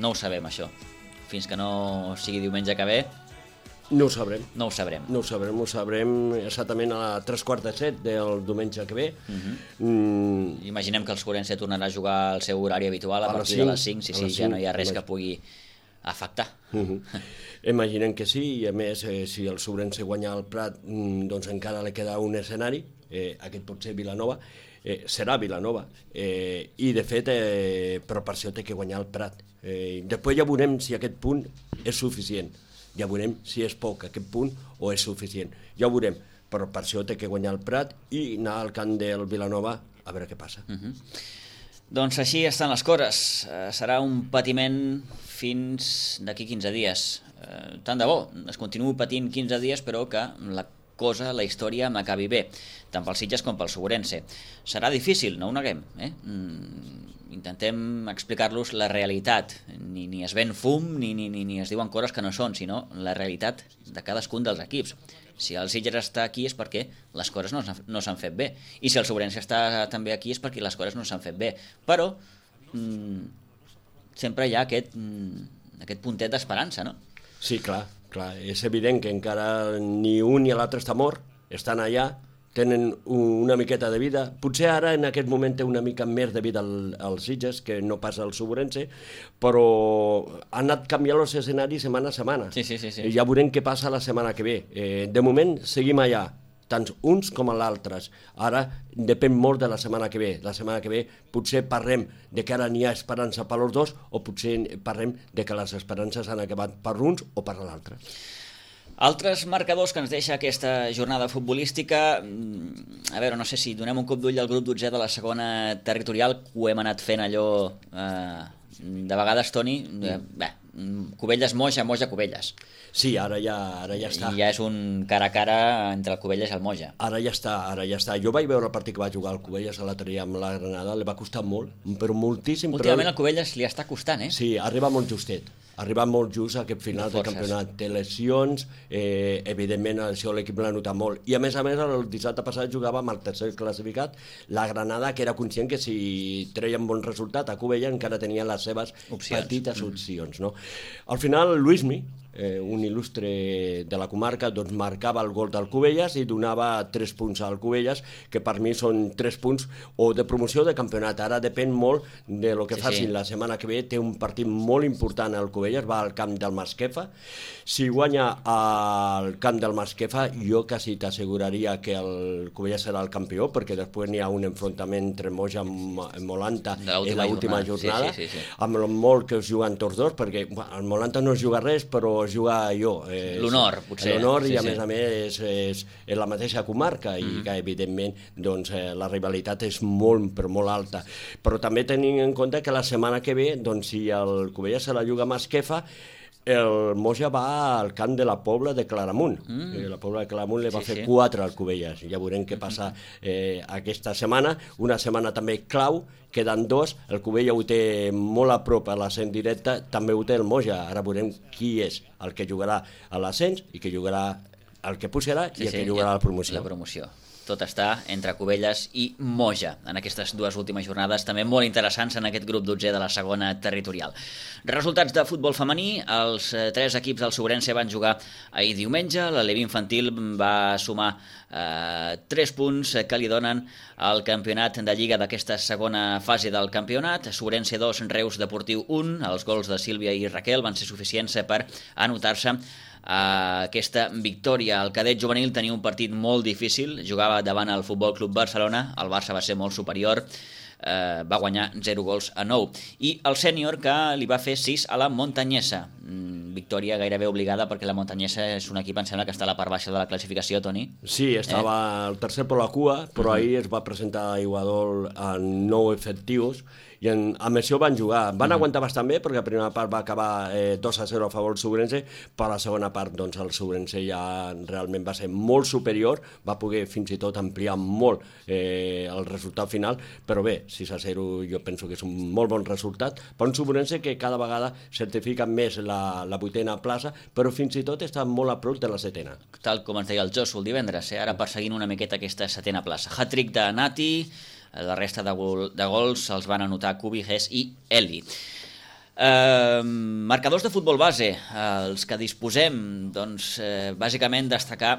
S1: No ho sabem, això. Fins que no sigui diumenge que ve...
S3: No ho sabrem.
S1: No ho sabrem.
S3: No ho sabrem, ho sabrem exactament a tres quarts de set del diumenge que ve.
S1: Uh-huh. mm. Imaginem que el Suburense tornarà a jugar al seu horari habitual a, a partir de les cinc, sí, sí, ja no hi ha res que pugui afectar.
S3: Uh-huh. Imaginem que sí, i a més, eh, si el Suburense guanya el Prat, doncs encara li queda un escenari, eh, aquest pot ser Vilanova, eh, serà Vilanova, eh, i de fet, eh, però per això té que guanyar el Prat. Eh, després ja veurem si aquest punt és suficient, ja veurem si és poc aquest punt o és suficient, ja ho veurem, però per això té que guanyar el Prat i anar al camp del Vilanova a veure què passa.
S1: Uh-huh. Doncs així estan les coses. Uh, serà un patiment fins d'aquí quinze dies. Uh, tant de bo, es continuï patint quinze dies, però que la cosa, la història m'acabi bé, tant pel Sitges com pel Segurense. Serà difícil, no ho neguem, eh? Mm, intentem explicar-los la realitat. Ni, ni es ven fum, ni, ni, ni, ni es diuen coses que no són, sinó la realitat de cadascun dels equips. Si el Sitges està aquí és perquè les coses no, no s'han fet bé. I si el Segurense està també aquí és perquè les coses no s'han fet bé. Però mm, sempre hi ha aquest, mm, aquest puntet d'esperança, no?
S3: Sí, clar, clar. És evident que encara ni un ni l'altre està mort, estan allà, tenen una miqueta de vida. Potser ara en aquest moment té una mica més de vida el, el Sitges, que no passa al Segurense, però han anat canviant els escenaris setmana a setmana.
S1: Sí, sí, sí, sí.
S3: I ja veurem què passa la setmana que ve. Eh, de moment seguim allà, tant uns com l'altres. Ara depèn molt de la setmana que ve. La setmana que ve potser parlem de que ara n'hi ha esperança per als dos, o potser parlem de que les esperances han acabat per uns o per l'altre.
S1: Altres marcadors que ens deixa aquesta jornada futbolística, a veure, no sé si donem un cop d'ull al grup dotzè de la segona territorial, que ho hem anat fent allò eh, de vegades, Toni, eh, bé, Cubelles Moja, Moja Cubelles.
S3: Sí, ara ja, ara ja està.
S1: I ja és un cara a cara entre el Cubelles i el Moja.
S3: Ara ja està, ara ja està. Jo vaig veure el partit que va jugar el Cubelles a l'altre dia amb la Granada, li va costar molt, però moltíssim.
S1: Últimament
S3: però...
S1: el Cubelles li està costant, eh?
S3: Sí, arriba molt justet. Arriba molt just a aquest final del campionat. Té lesions, eh, evidentment això l'equip l'ha notat molt. I a més a més, el dissabte passat jugava amb el tercer classificat, la Granada, que era conscient que si treien bon resultat a Cubelles encara tenia les seves opcions. petites opcions. No? Al final, Luismi, eh, un il·lustre de la comarca, doncs marcava el gol del Cubelles i donava tres punts al Cubelles, que per mi són tres punts o de promoció o de campionat. Ara depèn molt de lo que sí, facin sí. La setmana que ve. Té un partit molt important al Cubelles, va al camp del Masquefa. Si guanya al camp del Masquefa, jo quasi t'asseguraria que el Cubelles serà el campió, perquè després n'hi ha un enfrontament entre Moja i Molanta en l'última jornada, sí, sí, sí, sí. amb el molt que es juguen tots dos, perquè bueno, el Molanta no es juga res, però es juga jo. Eh,
S1: l'honor, potser.
S3: L'honor,
S1: sí,
S3: i a
S1: sí.
S3: més a més és, és, és la mateixa comarca, mm. i que evidentment doncs, eh, la rivalitat és molt, però molt alta. Però també tenint en compte que la setmana que ve, doncs, si el Cubelles se la juga a Masquefa, el Moja va al camp de la Pobla de Claramunt. Mm. Eh, la Pobla de Claramunt li va sí, fer sí. quatre al Cubelles. Ja veurem què passa eh, aquesta setmana. Una setmana també clau, queden dos. El Cubelles ho té molt a prop a l'ascens directe, també ho té el Moja. Ara veurem qui és el que jugarà a l'ascens i que jugarà el que pujarà sí, i el sí, que jugarà a la promoció.
S1: La promoció. Tot està entre Cubelles i Moja en aquestes dues últimes jornades, també molt interessants en aquest grup dotzè de la segona territorial. Resultats de futbol femení: els tres equips del Segurense van jugar ahir diumenge. L'Alevi Infantil va sumar eh, tres punts que li donen al campionat de Lliga d'aquesta segona fase del campionat. Segurense dos, Reus Deportiu un. Els gols de Sílvia i Raquel van ser suficients per anotar-se Uh, aquesta victòria. El cadet juvenil tenia un partit molt difícil, jugava davant el Futbol Club Barcelona, el Barça va ser molt superior, uh, va guanyar zero gols a nou, i el sènior, que li va fer sis a la Montanyesa. Mm, victòria gairebé obligada, perquè la Montanyesa és un equip, em sembla, que està a la part baixa de la classificació, Toni.
S3: Sí, estava eh? el tercer per la cua, però uh-huh. ahir es va presentar a Iguadol en nou efectius, i en, amb això van jugar. Van mm. aguantar bastant bé, perquè la primera part va acabar eh, dos a zero a favor del Segurense, però la segona part doncs, el Segurense ja realment va ser molt superior, va poder fins i tot ampliar molt eh, el resultat final, però bé, sis a zero jo penso que és un molt bon resultat, per un Segurense que cada vegada certifica més la, la vuitena plaça, però fins i tot està molt a prop de la setena.
S1: Tal com ens deia el Josu el divendres, eh? Ara perseguint una miqueta aquesta setena plaça. Hat-trick de Nati. La resta de, gol, de gols els van anotar Cubi, Ges i Eli. Eh, marcadors de futbol base, els que disposem, doncs, eh, bàsicament destacar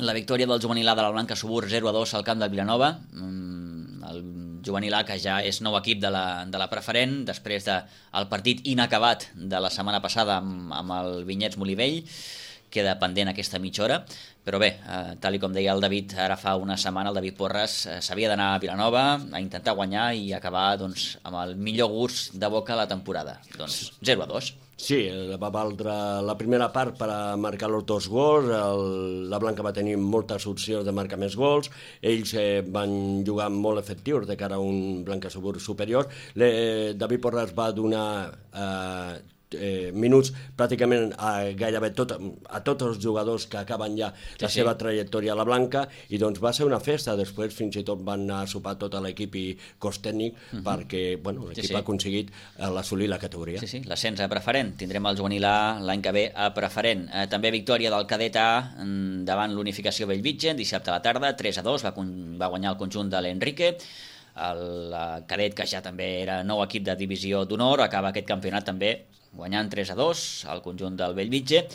S1: la victòria del juvenil A de la Blanca Subur zero a dos al camp del Vilanova. El juvenil A, que ja és nou equip de la, de la preferent, després del de, partit inacabat de la setmana passada amb, amb el Vinyets Molivell, queda pendent aquesta mitja hora, però bé, eh, tal i com deia el David ara fa una setmana, el David Porres eh, s'havia d'anar a Vilanova a intentar guanyar i acabar doncs, amb el millor gust de boca la temporada. Doncs zero a dos.
S3: Sí, va valdre la primera part per a marcar els dos gols, el, la Blanca va tenir moltes opcions de marcar més gols, ells eh, van jugar molt efectius de cara a un Blanca superior. Le, David Porres va donar eh, eh, minuts pràcticament a gairebé tot, a tots els jugadors que acaben ja la sí, seva sí. trajectòria a la Blanca, i doncs va ser una festa. Després fins i tot van anar a sopar tot l'equip i cos tècnic uh -huh. perquè bueno, l'equip sí, sí. ha aconseguit assolir la categoria.
S1: Sí, sí, l'ascens a preferent. Tindrem el juvenil A l'any que ve a preferent. Eh, també victòria del cadet A davant l'Unificació Bellvitge dissabte a la tarda, tres a dos, va, va guanyar el conjunt de l'Enrique. El cadet, que ja també era nou equip de divisió d'honor, acaba aquest campionat també guanyant tres a dos al conjunt del Bellvitge,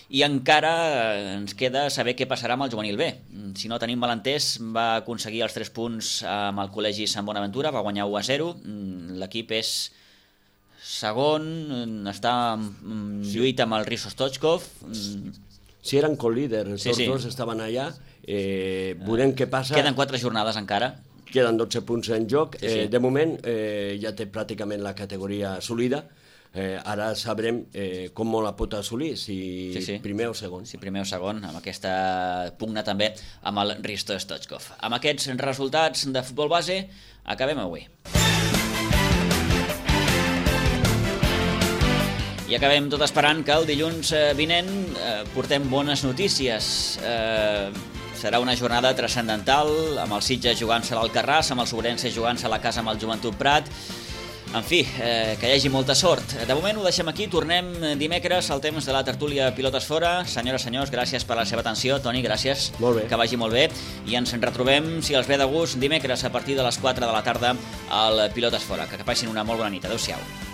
S1: i encara ens queda saber què passarà amb el juvenil B. Si no tenim malentès, va aconseguir els tres punts amb el col·legi Sant Bonaventura, va guanyar u a zero, l'equip és segon, està en lluita amb el Riso Stochkov.
S3: Si eren co-líders,
S1: sí,
S3: tots
S1: sí.
S3: dos estaven allà, eh, veurem què passa.
S1: Queden quatre jornades encara.
S3: Queden dotze punts en joc,
S1: sí, sí.
S3: Eh, de moment eh, ja té pràcticament la categoria assolida. Eh, ara sabrem eh, com la pot assolir, si sí, sí. primer o segon.
S1: Si primer o segon, amb aquesta pugna també amb el Risto Stochkov. Amb aquests resultats de futbol base, acabem avui. I acabem tot esperant que el dilluns vinent eh, portem bones notícies. Eh, serà una jornada transcendental, amb el Sitges jugant-se a l'Alcarràs, amb el Sobrense jugant-se a la casa amb el Joventut Prat. En fi, eh, que hi hagi molta sort. De moment ho deixem aquí, tornem dimecres al temps de la tertúlia Pilotes Fora. Senyores, senyors, gràcies per la seva atenció. Toni, gràcies.
S3: Molt bé.
S1: Que vagi molt bé. I ens retrobem, si els ve de gust, dimecres a partir de les quatre de la tarda al Pilotes Fora. Que passin una molt bona nit. Adéu-siau.